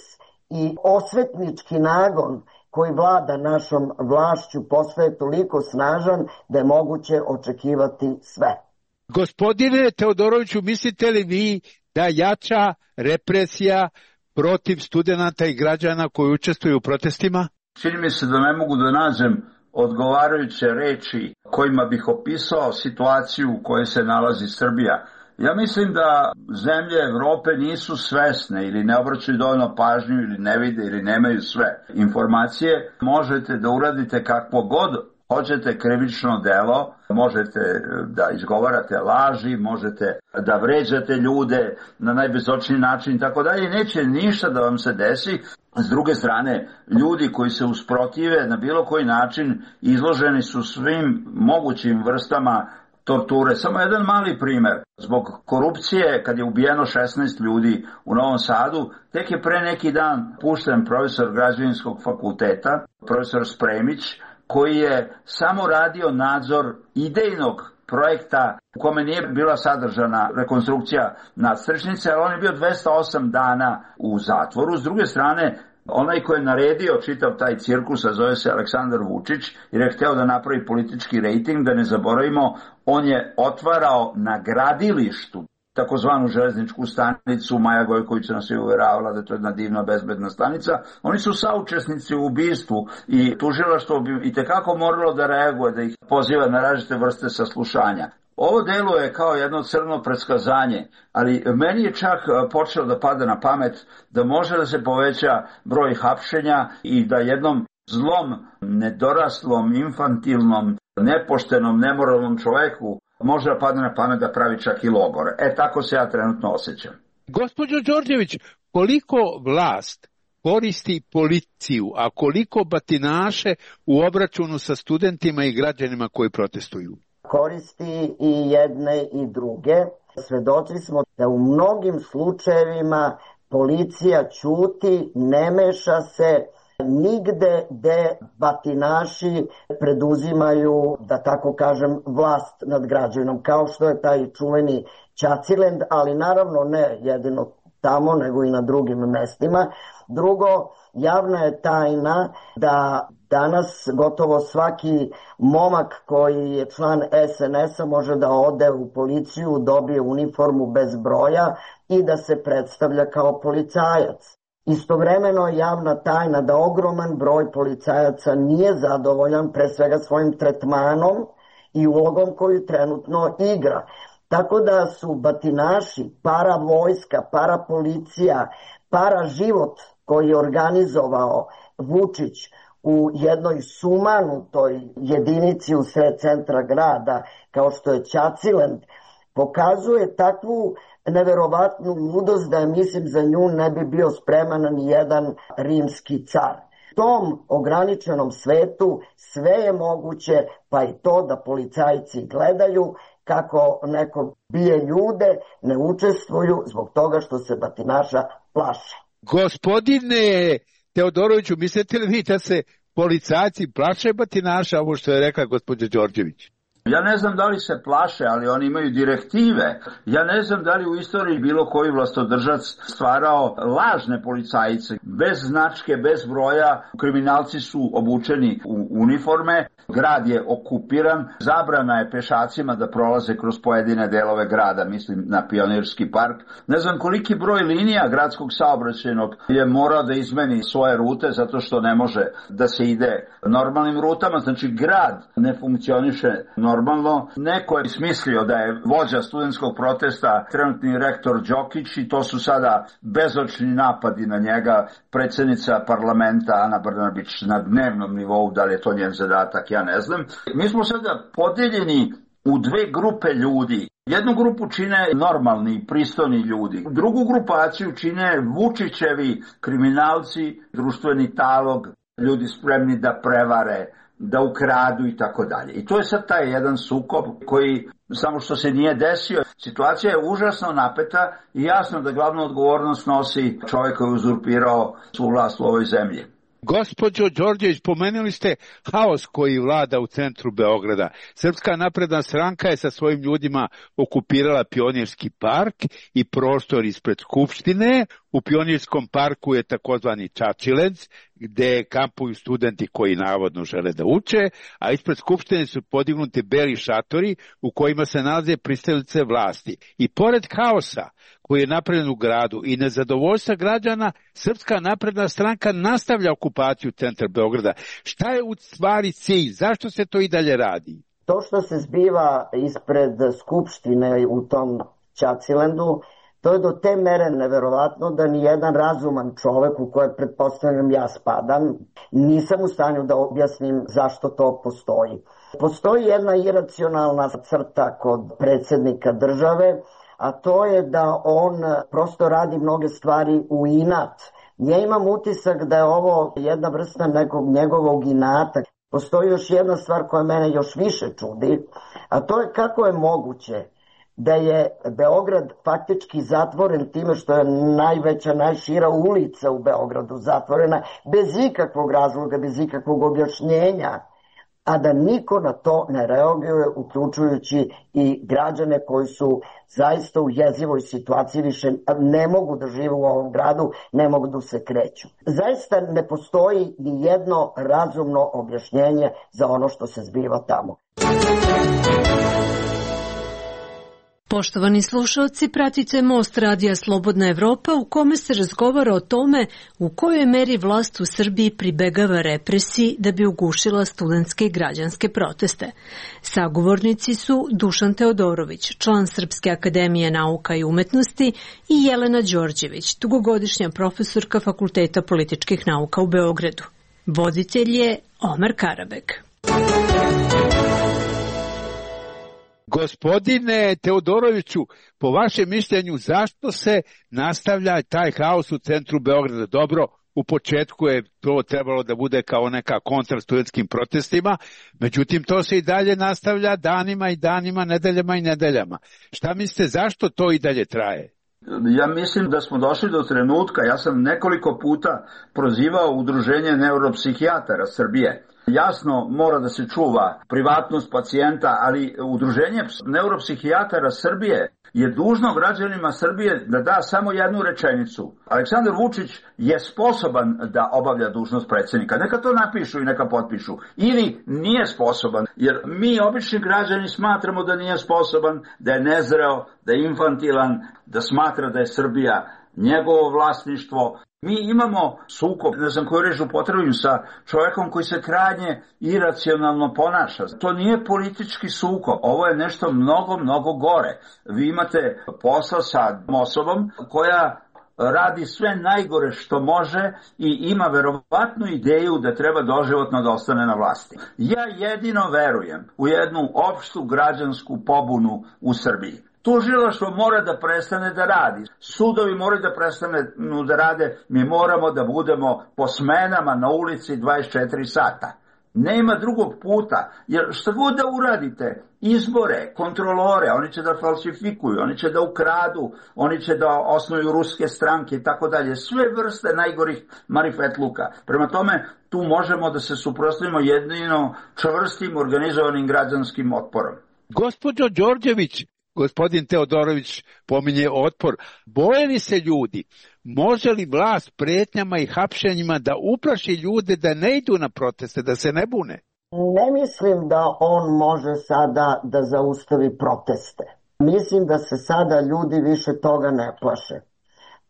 i osvetnički nagon koji vlada našom vlašću postaje toliko snažan da je moguće očekivati sve. Gospodine Teodoroviću, mislite li vi da jača represija protiv studenata i građana koji učestvuju u protestima? Čini mi se da ne mogu da nađem odgovarajuće reči kojima bih opisao situaciju u kojoj se nalazi Srbija. Ja mislim da zemlje Evrope nisu svesne ili ne obraćaju dovoljno pažnju ili ne vide ili nemaju sve informacije. Možete da uradite kakvo god hoćete krivično delo, možete da izgovarate laži, možete da vređate ljude na najbezočniji način i tako dalje. Neće ništa da vam se desi. S druge strane, ljudi koji se usprotive na bilo koji način izloženi su svim mogućim vrstama torture. Samo jedan mali primer. Zbog korupcije, kad je ubijeno šesnaest ljudi u Novom Sadu, tek je pre neki dan pušten profesor građevinskog fakulteta, profesor Spremić, koji je samo radio nadzor idejnog projekta u kome nije bila sadržana rekonstrukcija nadstrešnice, ali on je bio dvesta osam dana u zatvoru. S druge strane, onaj koji je naredio čitav taj cirkus, a zove se Aleksandar Vučić, jer je hteo da napravi politički rejting, da ne zaboravimo, on je otvarao na gradilištu takozvanu železničku stanicu. Maja Gojković nas je uveravala da je to jedna divna bezbedna stanica. Oni su saučesnici u ubistvu i tužilaštvo bi i tekako moralo da reaguje, da ih poziva na različite vrste saslušanja. Ovo deluje kao jedno crno predskazanje, ali meni je čak počelo da pada na pamet da može da se poveća broj hapšenja i da jednom zlom, nedoraslom, infantilnom, nepoštenom, nemoralnom čoveku može da padne na pamet da pravi čak i logor. E, tako se ja trenutno osjećam. Gospođo Đorđević, koliko vlast koristi policiju, a koliko batinaše u obračunu sa studentima i građanima koji protestuju? Koristi i jedne i druge. Svedoci smo da u mnogim slučajevima policija ćuti, ne meša se nigde gde batinaši preduzimaju, da tako kažem, vlast nad građanom, kao što je taj čuveni Ćacilend, ali naravno ne jedino tamo, nego i na drugim mestima. Drugo, javna je tajna da danas gotovo svaki momak koji je član es en es-a može da ode u policiju, dobije uniformu bez broja i da se predstavlja kao policajac. Istovremeno je javna tajna da ogroman broj policajaca nije zadovoljan pre svega svojim tretmanom i ulogom koju trenutno igra. Tako da su batinaši, para vojska, para policija, para život koji je organizovao Vučić u jednoj sumanutoj jedinici u sred centra grada, kao što je Ćacilend, pokazuje takvu neverovatnu ludost da je, mislim, za nju ne bi bio spreman ni jedan rimski car. U tom ograničenom svetu sve je moguće, pa i to da policajci gledaju kako neko bije ljude, ne učestvuju zbog toga što se batinaša plaše. Gospodine Teodoroviću, mislite li vi da se policajci plaše batinaša, ovo što je rekla gospođa Đorđević? Ja ne znam da li se plaše, ali oni imaju direktive. Ja ne znam da li u istoriji bilo koji vlastodržac stvarao lažne policajce. Bez značke, bez broja, kriminalci su obučeni u uniforme, grad je okupiran, zabrana je pešacima da prolaze kroz pojedine delove grada, mislim na Pionirski park. Ne znam koliki broj linija gradskog saobraćajnog je morao da izmeni svoje rute zato što ne može da se ide normalnim rutama. Znači grad ne funkcioniše normalno. Normalno, neko je smislio da je vođa studentskog protesta trenutni rektor Đokić i to su sada bezočni napadi na njega, predsjednica parlamenta Ana Brnabić na dnevnom nivou, da li je to njen zadatak, ja ne znam. Mi smo sada podeljeni u dve grupe ljudi. Jednu grupu čine normalni, pristojni ljudi. Drugu grupaciju čine Vučićevi kriminalci, društveni talog, ljudi spremni da prevare, da ukradu i tako dalje. I to je sad taj jedan sukob koji samo što se nije desio. Situacija je užasno napeta i jasno da glavnu odgovornost nosi čovjek koji je uzurpirao svu vlast u ovoj zemlji. Gospođo Đorđević, pomenuli ste haos koji vlada u centru Beograda. Srpska napredna stranka je sa svojim ljudima okupirala Pionirski park i prostor ispred Skupštine. U Pionirskom parku je takozvani Ćaćilend, gde kampuju studenti koji navodno žele da uče, a ispred Skupštine su podignuti beli šatori u kojima se nalaze pristalice vlasti. I pored haosa koji je napravljen u gradu i nezadovoljstva građana, Srpska napredna stranka nastavlja okupaciju centra Beograda. Šta je u stvari cilj? Zašto se to i dalje radi? To što se zbiva ispred Skupštine u tom Ćacilendu, to je do te mere neverovatno da ni jedan razuman čovek u koje pretpostavljam ja spadam, nisam u stanju da objasnim zašto to postoji. Postoji jedna iracionalna crta kod predsjednika države, a to je da on prosto radi mnoge stvari u inat. Ja imam utisak da je ovo jedna vrsta nekog njegovog inata. Postoji još jedna stvar koja mene još više čudi, a to je kako je moguće da je Beograd faktički zatvoren time što je najveća, najšira ulica u Beogradu zatvorena bez ikakvog razloga, bez ikakvog objašnjenja, a da niko na to ne reaguje, uključujući i građane koji su zaista u jezivoj situaciji, više ne mogu da žive u ovom gradu, ne mogu da se kreću. Zaista ne postoji ni jedno razumno objašnjenje za ono što se zbiva tamo. Poštovani slušalci, pratite Most radija Slobodna Evropa u kome se razgovara o tome u kojoj meri vlast u Srbiji pribegava represiji da bi ugušila studentske i građanske proteste. Sagovornici su Dušan Teodorović, član Srpske akademije nauka i umetnosti, i Jelena Đorđević, dugogodišnja profesorka Fakulteta političkih nauka u Beogradu. Voditelj je Omer Karabek. Gospodine Teodoroviću, po vašem mišljenju, zašto se nastavlja taj haos u centru Beograda? Dobro, u početku je to trebalo da bude kao neka kontra studentskim protestima, međutim to se i dalje nastavlja danima i danima, nedeljama i nedeljama. Šta mislite, zašto to i dalje traje? Ja mislim da smo došli do trenutka, ja sam nekoliko puta prozivao Udruženje neuropsihijatara Srbije. Jasno, mora da se čuva privatnost pacijenta, ali Udruženje neuropsihijatara Srbije je dužno građanima Srbije da da samo jednu rečenicu. Aleksandar Vučić je sposoban da obavlja dužnost predsjednika. Neka to napišu i neka potpišu. Ili nije sposoban, jer mi obični građani smatramo da nije sposoban, da je nezreo, da je infantilan, da smatra da je Srbija njegovo vlasništvo. Mi imamo sukob, ne znam koju reč upotrebim, sa čovjekom koji se krajnje iracionalno ponaša. To nije politički sukob, ovo je nešto mnogo, mnogo gore. Vi imate posla sa osobom koja radi sve najgore što može i ima verovatnu ideju da treba doživotno da ostane na vlasti. Ja jedino verujem u jednu opštu građansku pobunu u Srbiji. Tužilaštvo mora da prestane da radi. Sudovi moraju da prestane da rade. Mi moramo da budemo po smenama na ulici dvadeset četiri sata. Nema drugog puta. Jer šta god da uradite, izbore, kontrolore, oni će da falsifikuju, oni će da ukradu, oni će da osnuju ruske stranke i tako dalje. Sve vrste najgorih marifetluka. Prema tome, tu možemo da se suprotstavimo jedino čvrstim organizovanim građanskim otporom. Gospođo Đorđević, gospodin Teodorović pominje otpor. Boje li se ljudi? Može li vlast pretnjama i hapšenjima da uplaši ljude da ne idu na proteste, da se ne bune? Ne mislim da on može sada da zaustavi proteste. Mislim da se sada ljudi više toga ne plaše.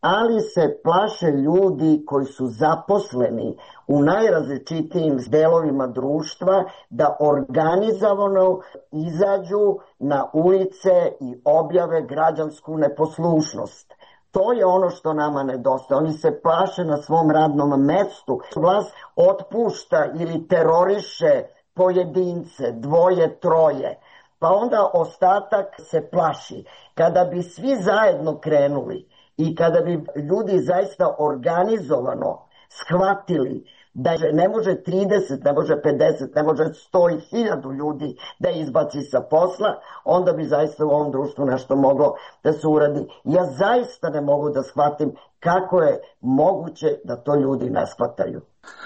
Ali se plaše ljudi koji su zaposleni u najrazličitijim delovima društva da organizovano izađu na ulice i objave građansku neposlušnost. To je ono što nama nedostaje. Oni se plaše na svom radnom mestu. Vlast otpušta ili teroriše pojedince, dvoje, troje. Pa onda ostatak se plaši. Kada bi svi zajedno krenuli i kada bi ljudi zaista organizovano shvatili da ne može trideset, ne može pedeset, ne može sto i hiljadu ljudi da izbaci sa posla, onda bi zaista u ovom društvu nešto moglo da se uradi. Ja zaista ne mogu da shvatim kako je moguće da to ljudi ne shvataju.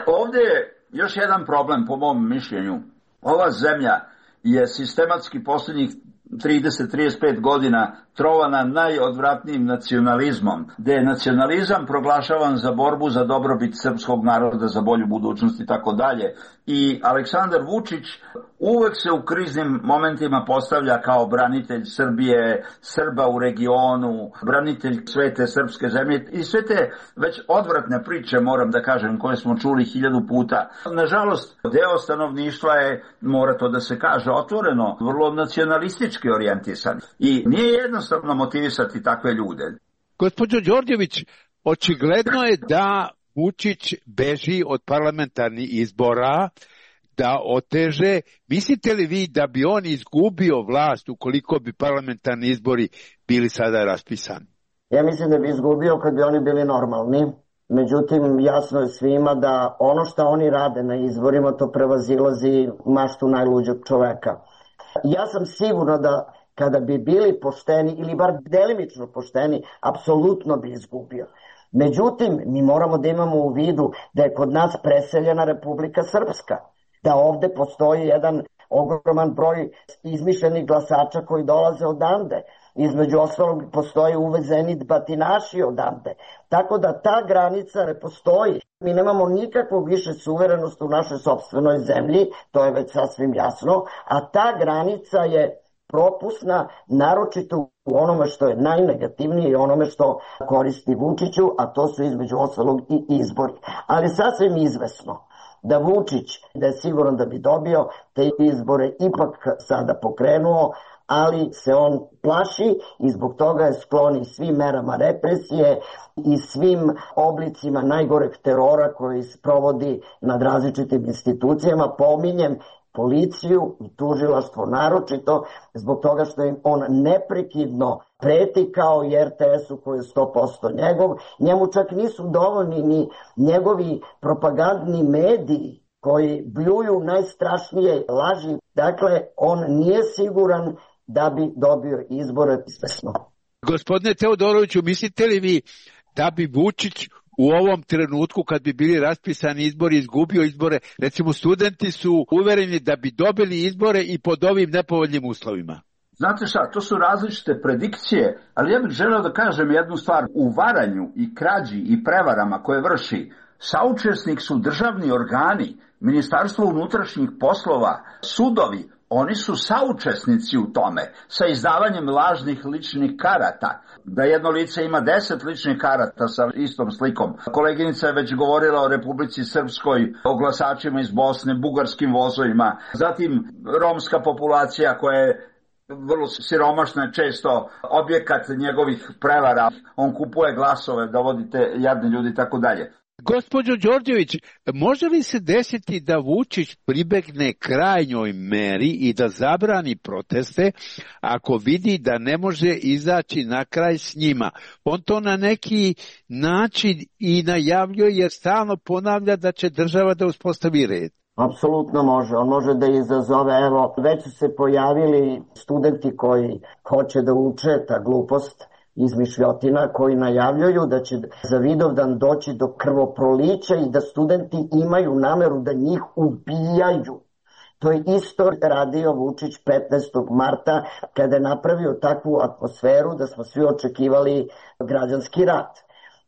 Ovdje je još jedan problem po mom mišljenju. Ova zemlja je sistematski posljednjih trideset do trideset pet godina trovana najodvratnijim nacionalizmom, gde je nacionalizam proglašavan za borbu za dobrobit srpskog naroda, za bolju budućnost i tako dalje. I Aleksandar Vučić uvek se u kriznim momentima postavlja kao branitelj Srbije, Srba u regionu, branitelj svete srpske zemlje i sve te već odvratne priče, moram da kažem, koje smo čuli hiljadu puta. Nažalost, deo stanovništva je, mora to da se kaže otvoreno, vrlo nacionalistički orijentisan. I nije jednostavno jednostavno motivisati takve ljude. Gospođo Đorđević, očigledno je da Vučić beži od parlamentarnih izbora, da oteže. Mislite li vi da bi on izgubio vlast ukoliko bi parlamentarni izbori bili sada raspisani? Ja mislim da bi izgubio kad bi oni bili normalni. Međutim, jasno je svima da ono što oni rade na izborima, to prevazilazi maštu najluđeg čoveka. Ja sam sigurna da kada bi bili pošteni ili bar delimično pošteni, apsolutno bi izgubio. Međutim, mi moramo da imamo u vidu da je kod nas preseljena Republika Srpska, da ovde postoji jedan ogroman broj izmišljenih glasača koji dolaze odande. Između ostalog postoje uvezeni batinaši odande. Tako da ta granica ne postoji. Mi nemamo nikakvog više suverenosti u našoj sopstvenoj zemlji, to je već sasvim jasno, a ta granica je propusna, naročito u onome što je najnegativnije i onome što koristi Vučiću, a to su između ostalog i izbori. Ali sasvim izvesno da Vučić, da je siguran da bi dobio, te izbore ipak sada pokrenuo, ali se on plaši i zbog toga je sklon i svim merama represije i svim oblicima najgoreg terora koji se provodi nad različitim institucijama. Pominjem policiju i tužilaštvo naročito zbog toga što im on neprekidno preti kao i er te esu koji je sto posto njegov. Njemu čak nisu dovoljni ni njegovi propagandni mediji koji bljuju najstrašnije laži. Dakle, on nije siguran da bi dobio izbore svesno. Gospodine Teodoroviću, mislite li vi da bi Vučić u ovom trenutku kad bi bili raspisani izbori izgubio izbore? Recimo, studenti su uvereni da bi dobili izbore i pod ovim nepovoljnim uslovima. Znate šta, to su različite predikcije, ali ja bih želeo da kažem jednu stvar. U varanju i krađi i prevarama koje vrši saučesnik su državni organi, Ministarstvo unutrašnjih poslova, sudovi. Oni su saučesnici u tome, sa izdavanjem lažnih ličnih karata. Da jedno lice ima deset ličnih karata sa istom slikom. Koleginica je već govorila o Republici Srpskoj, o glasačima iz Bosne, bugarskim vozovima. Zatim romska populacija koja je vrlo siromašna, često objekat njegovih prevara. On kupuje glasove, dovodite jadni ljudi i tako dalje. Gospođo Đorđević, može li se desiti da Vučić pribegne krajnjoj meri i da zabrani proteste ako vidi da ne može izaći na kraj s njima? On to na neki način i najavljuje jer stalno ponavlja da će država da uspostavi red. Apsolutno može. On može da izazove, evo, već su se pojavili studenti koji hoće da uče ta glupost izmišljotina, koji najavljuju da će za Vidovdan doći do krvoprolića i da studenti imaju nameru da njih ubijaju. To je isto radio Vučić petnaestog marta kada je napravio takvu atmosferu da smo svi očekivali građanski rat.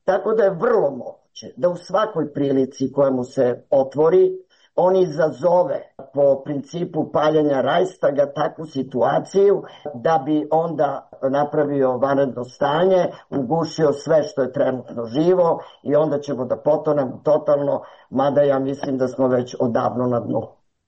Tako da je vrlo moguće da u svakoj prilici koja mu se otvori, on izazove po principu paljenja Rajstaga takvu situaciju da bi onda napravio vanredno stanje, ugušio sve što je trenutno živo i onda ćemo da potonemo totalno, mada ja mislim da smo već odavno na dnu.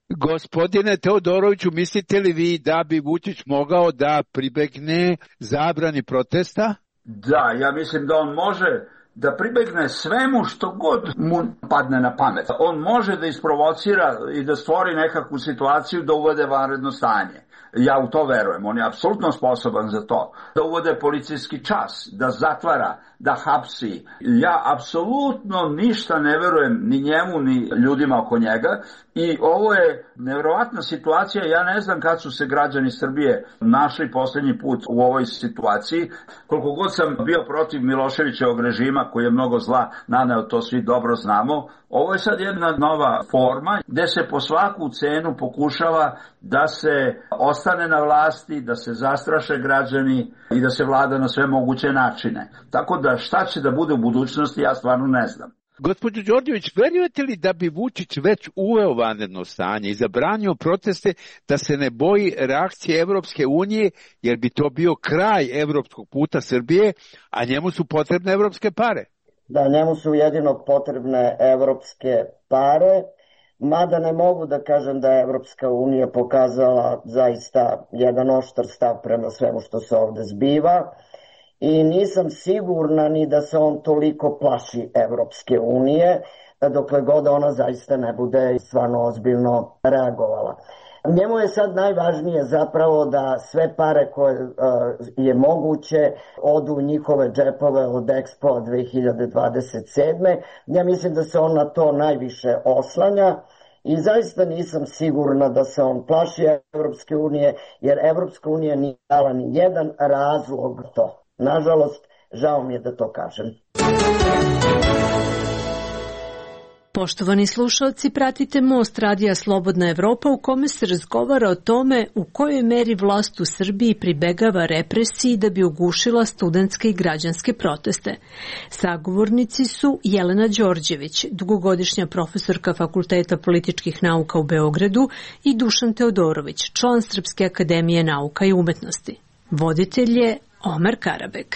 Gospodine Teodoroviću, mislite li vi da bi Vučić mogao da pribegne zabrani protesta? Da, ja mislim da on može da pribegne svemu što god mu padne na pamet. On može da isprovocira i da stvori nekakvu situaciju da uvede vanredno stanje. Ja u to verujem, on je apsolutno sposoban za to. Da uvode policijski čas, da zatvara, da hapsi. Ja apsolutno ništa ne verujem ni njemu, ni ljudima oko njega. I ovo je nevjerovatna situacija. Ja ne znam kad su se građani Srbije našli posljednji put u ovoj situaciji. Koliko god sam bio protiv Miloševićevog režima, koji je mnogo zla naneo, to svi dobro znamo. Ovo je sad jedna nova forma gde se po svaku cenu pokušava da se ostane na vlasti, da se zastraše građani i da se vlada na sve moguće načine. Tako da šta će da bude u budućnosti, ja stvarno ne znam. Gospođo Đorđević, verujete li da bi Vučić već uveo vanredno stanje i zabranio proteste, da se ne boji reakcije Evropske unije, jer bi to bio kraj evropskog puta Srbije, a njemu su potrebne evropske pare? Da, njemu su jedino potrebne evropske pare. mada ne mogu da kažem da je Evropska unija pokazala zaista jedan oštar stav prema svemu što se ovde zbiva i nisam sigurna ni da se on toliko plaši Evropske unije, dokle god ona zaista ne bude stvarno ozbiljno reagovala. Njemu je sad najvažnije zapravo da sve pare koje uh, je moguće odu u njihove džepove od Expo dve hiljade dvadeset sedme. Ja mislim da se on na to najviše oslanja i zaista nisam sigurna da se on plaši Evropske unije, jer Evropska unija nije dala ni jedan razlog to. Nažalost, žao mi je da to kažem. Poštovani slušalci, pratite Most radija Slobodna Evropa u kome se razgovara o tome u kojoj meri vlast u Srbiji pribegava represiji da bi ugušila studentske i građanske proteste. Sagovornici su Jelena Đorđević, dugogodišnja profesorka Fakulteta političkih nauka u Beogradu, i Dušan Teodorović, član Srpske akademije nauka i umetnosti. Voditelj je Omer Karabek.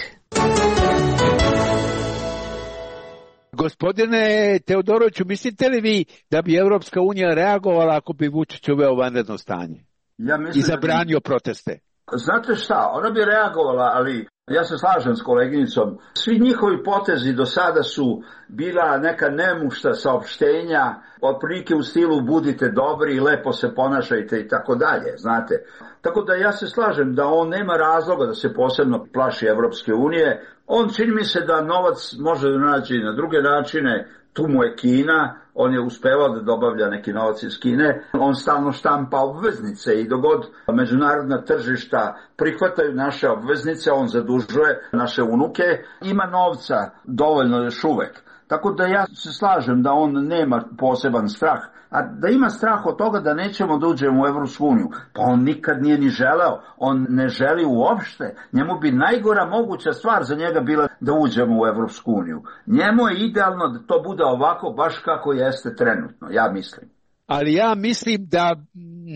Gospodine Teodoroviću, mislite li vi da bi Evropska unija reagovala ako bi Vučić uveo vanredno stanje ja i zabranio proteste? Znate šta, ona bi reagovala, ali ja se slažem s koleginicom. Svi njihovi potezi do sada su bila neka nemušta saopštenja, otprilike u stilu budite dobri i lepo se ponašajte i tako dalje, znate. Tako da ja se slažem da on nema razloga da se posebno plaši Evropske unije. On čini mi se da novac može da nađe na druge načine, tu mu je Kina, on je uspevao da dobavlja neki novac iz Kine, on stalno štampa obveznice i dogod međunarodna tržišta prihvataju naše obveznice, on zadužuje naše unuke, ima novca dovoljno još uvek. Tako da ja se slažem da on nema poseban strah, a da ima strah od toga da nećemo da uđemo u Evropsku uniju, pa on nikad nije ni želeo, on ne želi uopšte, njemu bi najgora moguća stvar za njega bila da uđemo u Evropsku uniju. Njemu je idealno da to bude ovako baš kako jeste trenutno, ja mislim. Ali ja mislim da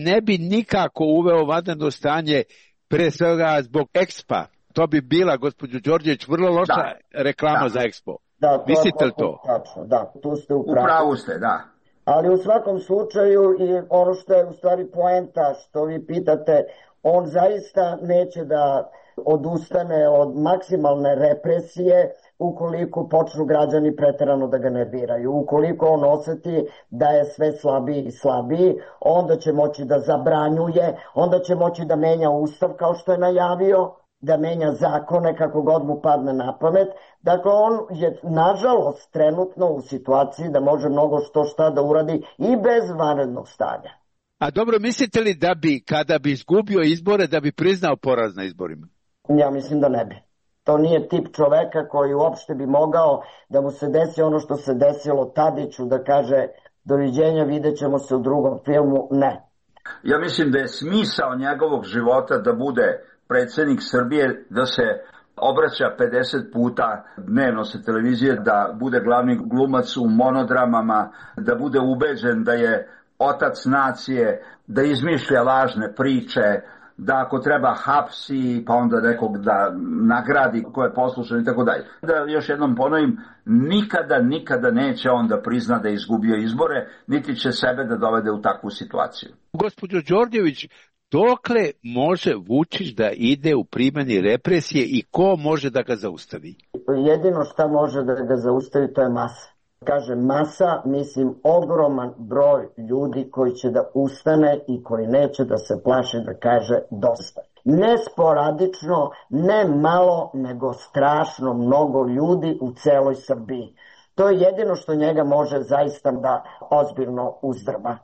ne bi nikako uveo vanredno stanje, pre svega zbog Expa. To bi bila, gospođo Đorđević, vrlo loša da. reklama da. za Expo. Da, to mislite li to? Tačno, da, tu ste u pravu. U pravu ste, da. Ali u svakom slučaju i ono što je u stvari poenta što vi pitate, on zaista neće da odustane od maksimalne represije ukoliko počnu građani preterano da ga nerviraju. Ukoliko on oseti da je sve slabiji i slabiji, onda će moći da zabranjuje, onda će moći da menja ustav kao što je najavio, da menja zakone kako god mu padne na pamet. Dakle, on je nažalost trenutno u situaciji da može mnogo što šta da uradi i bez vanrednog stanja. A dobro, mislite li da bi, kada bi izgubio izbore, da bi priznao poraz na izborima? Ja mislim da ne bi. To nije tip čoveka koji uopšte bi mogao da mu se desi ono što se desilo Tadiću, da kaže doviđenja, vidjet ćemo se u drugom filmu. Ne. Ja mislim da je smisao njegovog života da bude predsjednik Srbije, da se obraća pedeset puta dnevno sa televizije, da bude glavni glumac u monodramama, da bude ubeđen da je otac nacije, da izmišlja lažne priče, da ako treba hapsi, pa onda nekog da nagradi ko je poslušan i tako dalje. Da još jednom ponovim, nikada, nikada neće on da prizna da je izgubio izbore, niti će sebe da dovede u takvu situaciju. Gospođo Đorđević, dokle može Vučić da ide u primjeni represije i ko može da ga zaustavi? Jedino šta može da ga zaustavi to je masa. Kaže masa, mislim ogroman broj ljudi koji će da ustane i koji neće da se plaši da kaže dosta. Ne sporadično, ne malo, nego strašno mnogo ljudi u celoj Srbiji. To je jedino što njega može zaista da ozbiljno uzdrma.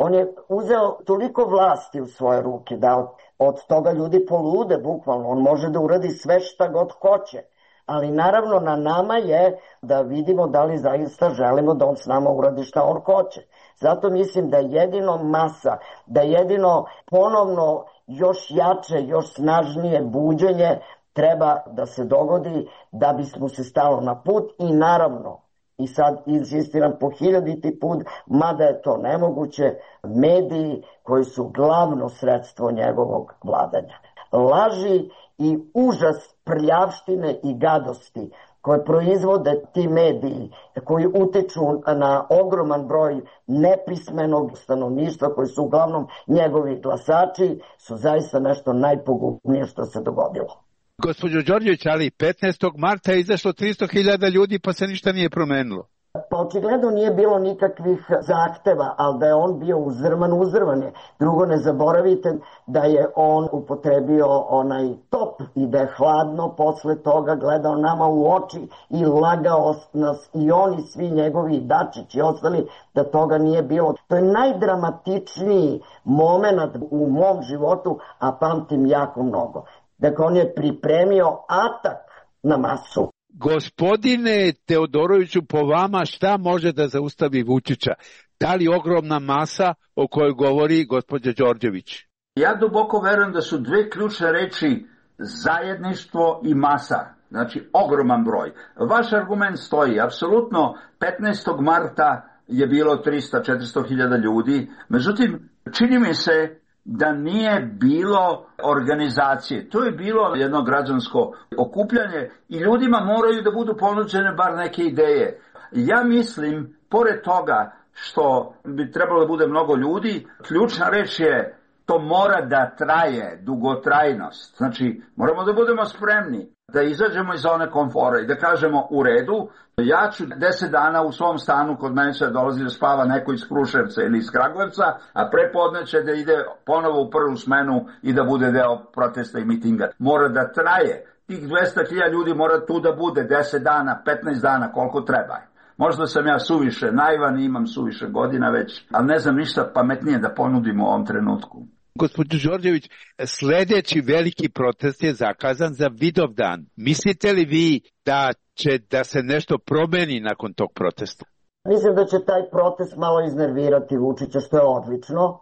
On je uzeo toliko vlasti u svoje ruke da od, od toga ljudi polude bukvalno. On može da uradi sve šta god hoće. Ali naravno na nama je da vidimo da li zaista želimo da on s nama uradi šta on hoće. Zato mislim da jedino masa, da jedino ponovno još jače, još snažnije buđenje treba da se dogodi da bismo se stalo na put i naravno, i sad insistiram po hiljaditi put, mada je to nemoguće, mediji koji su glavno sredstvo njegovog vladanja. Laži i užas prljavštine i gadosti koje proizvode ti mediji, koji utiču na ogroman broj nepismenog stanovništva, koji su uglavnom njegovi glasači, su zaista nešto najpogubnije što se dogodilo. Gospođo Đorđević, ali petnaestog marta je izašlo tristo hiljada ljudi pa se ništa nije promenilo. Pa očigledno nije bilo nikakvih zahteva, ali da je on bio uzrman, uzrman je. Drugo, ne zaboravite da je on upotrebio onaj top i da je hladno posle toga gledao nama u oči i lagao nas i oni, svi njegovi Dačić i ostali, da toga nije bilo. To je najdramatičniji moment u mom životu, a pamtim jako mnogo. Dakle, on je pripremio atak na masu. Gospodine Teodoroviću, po vama šta može da zaustavi Vučića? Da li ogromna masa o kojoj govori gospođa Đorđević? Ja duboko verujem da su dve ključne reči zajedništvo i masa. Znači, ogroman broj. Vaš argument stoji. Apsolutno, petnaestog marta je bilo tristo do četiristo hiljada ljudi. Međutim, čini mi se da nije bilo organizacije. To je bilo jedno građansko okupljanje i ljudima moraju da budu ponuđene bar neke ideje. Ja mislim, pored toga što bi trebalo da bude mnogo ljudi, ključna reč je to mora da traje, dugotrajnost. Znači, moramo da budemo spremni da izađemo iz zone komfora i da kažemo u redu, ja ću deset dana u svom stanu, kod mene će dolazi da spava neko iz Kruševca ili iz Kragujevca, a prepodne će da ide ponovo u prvu smenu i da bude deo protesta i mitinga. Mora da traje. Tih dvesta hiljada ljudi mora tu da bude deset dana, petnaest dana, koliko treba. Možda sam ja suviše naivan i imam suviše godina već, ali ne znam ništa pametnije da ponudim u ovom trenutku. Gospođo Đorđević, sljedeći veliki protest je zakazan za Vidovdan. Mislite li vi da će da se nešto promeni nakon tog protesta? Mislim da će taj protest malo iznervirati Vučića, što je odlično.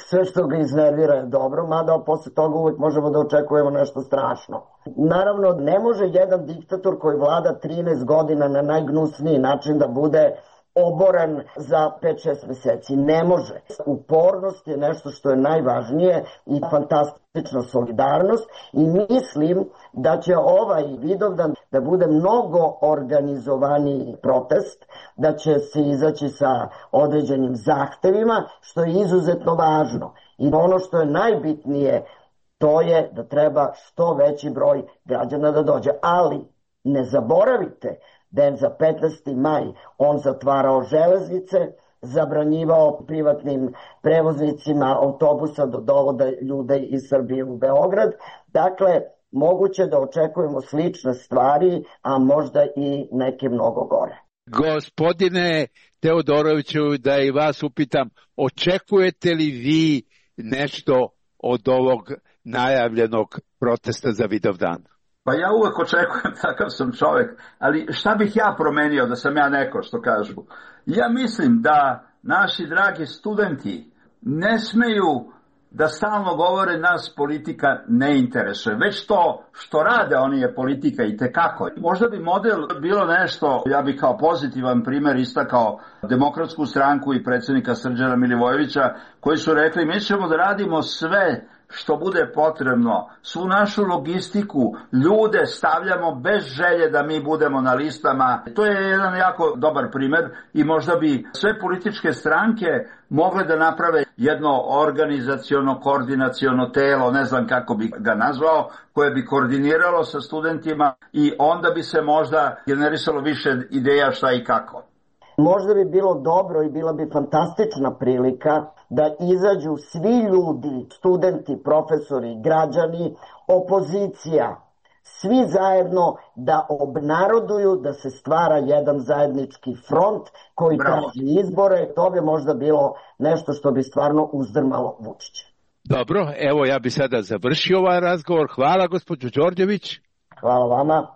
Sve što ga iznervira je dobro, mada posle toga uvek možemo da očekujemo nešto strašno. Naravno, ne može jedan diktator koji vlada trinaest godina na najgnusniji način da bude oboren za pet šest meseci. Ne može. Upornost je nešto što je najvažnije i fantastična solidarnost i mislim da će ovaj Vidovdan da bude mnogo organizovaniji protest, da će se izaći sa određenim zahtevima, što je izuzetno važno. I ono što je najbitnije, to je da treba što veći broj građana da dođe. Ali ne zaboravite da je za petnaesti maj on zatvarao železnice, zabranjivao privatnim prevoznicima autobusa da dovode ljude iz Srbije u Beograd. Dakle, moguće da očekujemo slične stvari, a možda i neke mnogo gore. Gospodine Teodoroviću, da i vas upitam, očekujete li vi nešto od ovog najavljenog protesta za Vidovdan? Pa ja uvek očekujem, takav sam čovjek, ali šta bih ja promenio da sam ja neko, što kažu? Ja mislim da naši dragi studenti ne smeju da stalno govore nas politika ne interesuje. Već to što rade oni je politika i tekako. Možda bi model bilo nešto, ja bih kao pozitivan primjer istakao Demokratsku stranku i predsjednika Srđana Milivojevića, koji su rekli mi ćemo da radimo sve što bude potrebno, svu našu logistiku, ljude stavljamo bez želje da mi budemo na listama. To je jedan jako dobar primjer i možda bi sve političke stranke mogle da naprave jedno organizaciono, koordinaciono telo, ne znam kako bi ga nazvao, koje bi koordiniralo sa studentima i onda bi se možda generisalo više ideja šta i kako. Možda bi bilo dobro i bila bi fantastična prilika da izađu svi ljudi, studenti, profesori, građani, opozicija, svi zajedno da obnaroduju, da se stvara jedan zajednički front koji traži izbore. To bi možda bilo nešto što bi stvarno uzdrmalo Vučića. Dobro, evo ja bi sada završio ovaj razgovor. Hvala gospođo Đorđević. Hvala vama.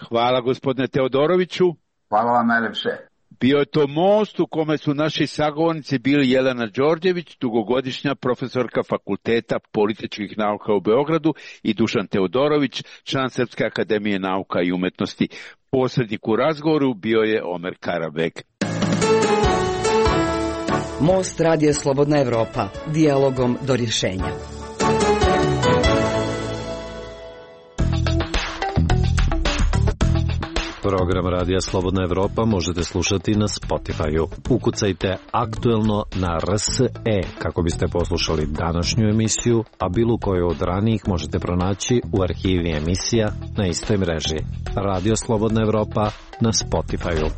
Hvala gospodine Teodoroviću. Hvala vam najlepše. Bio je to most u kome su naši sagovornici bili Jelena Đorđević, dugogodišnja profesorka Fakulteta političkih nauka u Beogradu, i Dušan Teodorović, član Srpske akademije nauka i umetnosti. Posrednik u razgovoru bio je Omer Karabeg. Most Radio Slobodna Evropa, dijalogom do rješenja. Program Radija Slobodna Evropa možete slušati na Spotify-u. Ukucajte aktuelno na R S E kako biste poslušali današnju emisiju, a bilo koju od ranijih možete pronaći u arhivi emisija na istoj mreži. Radio Slobodna Evropa na Spotify-u.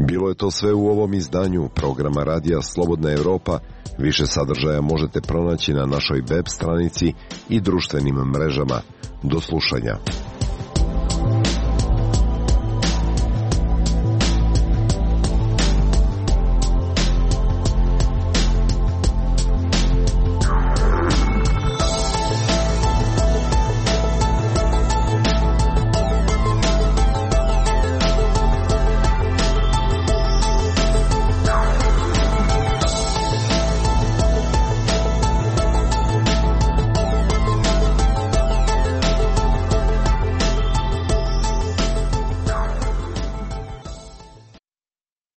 Bilo je to sve u ovom izdanju programa Radija Slobodna Evropa. Više sadržaja možete pronaći na našoj web stranici i društvenim mrežama. Do slušanja.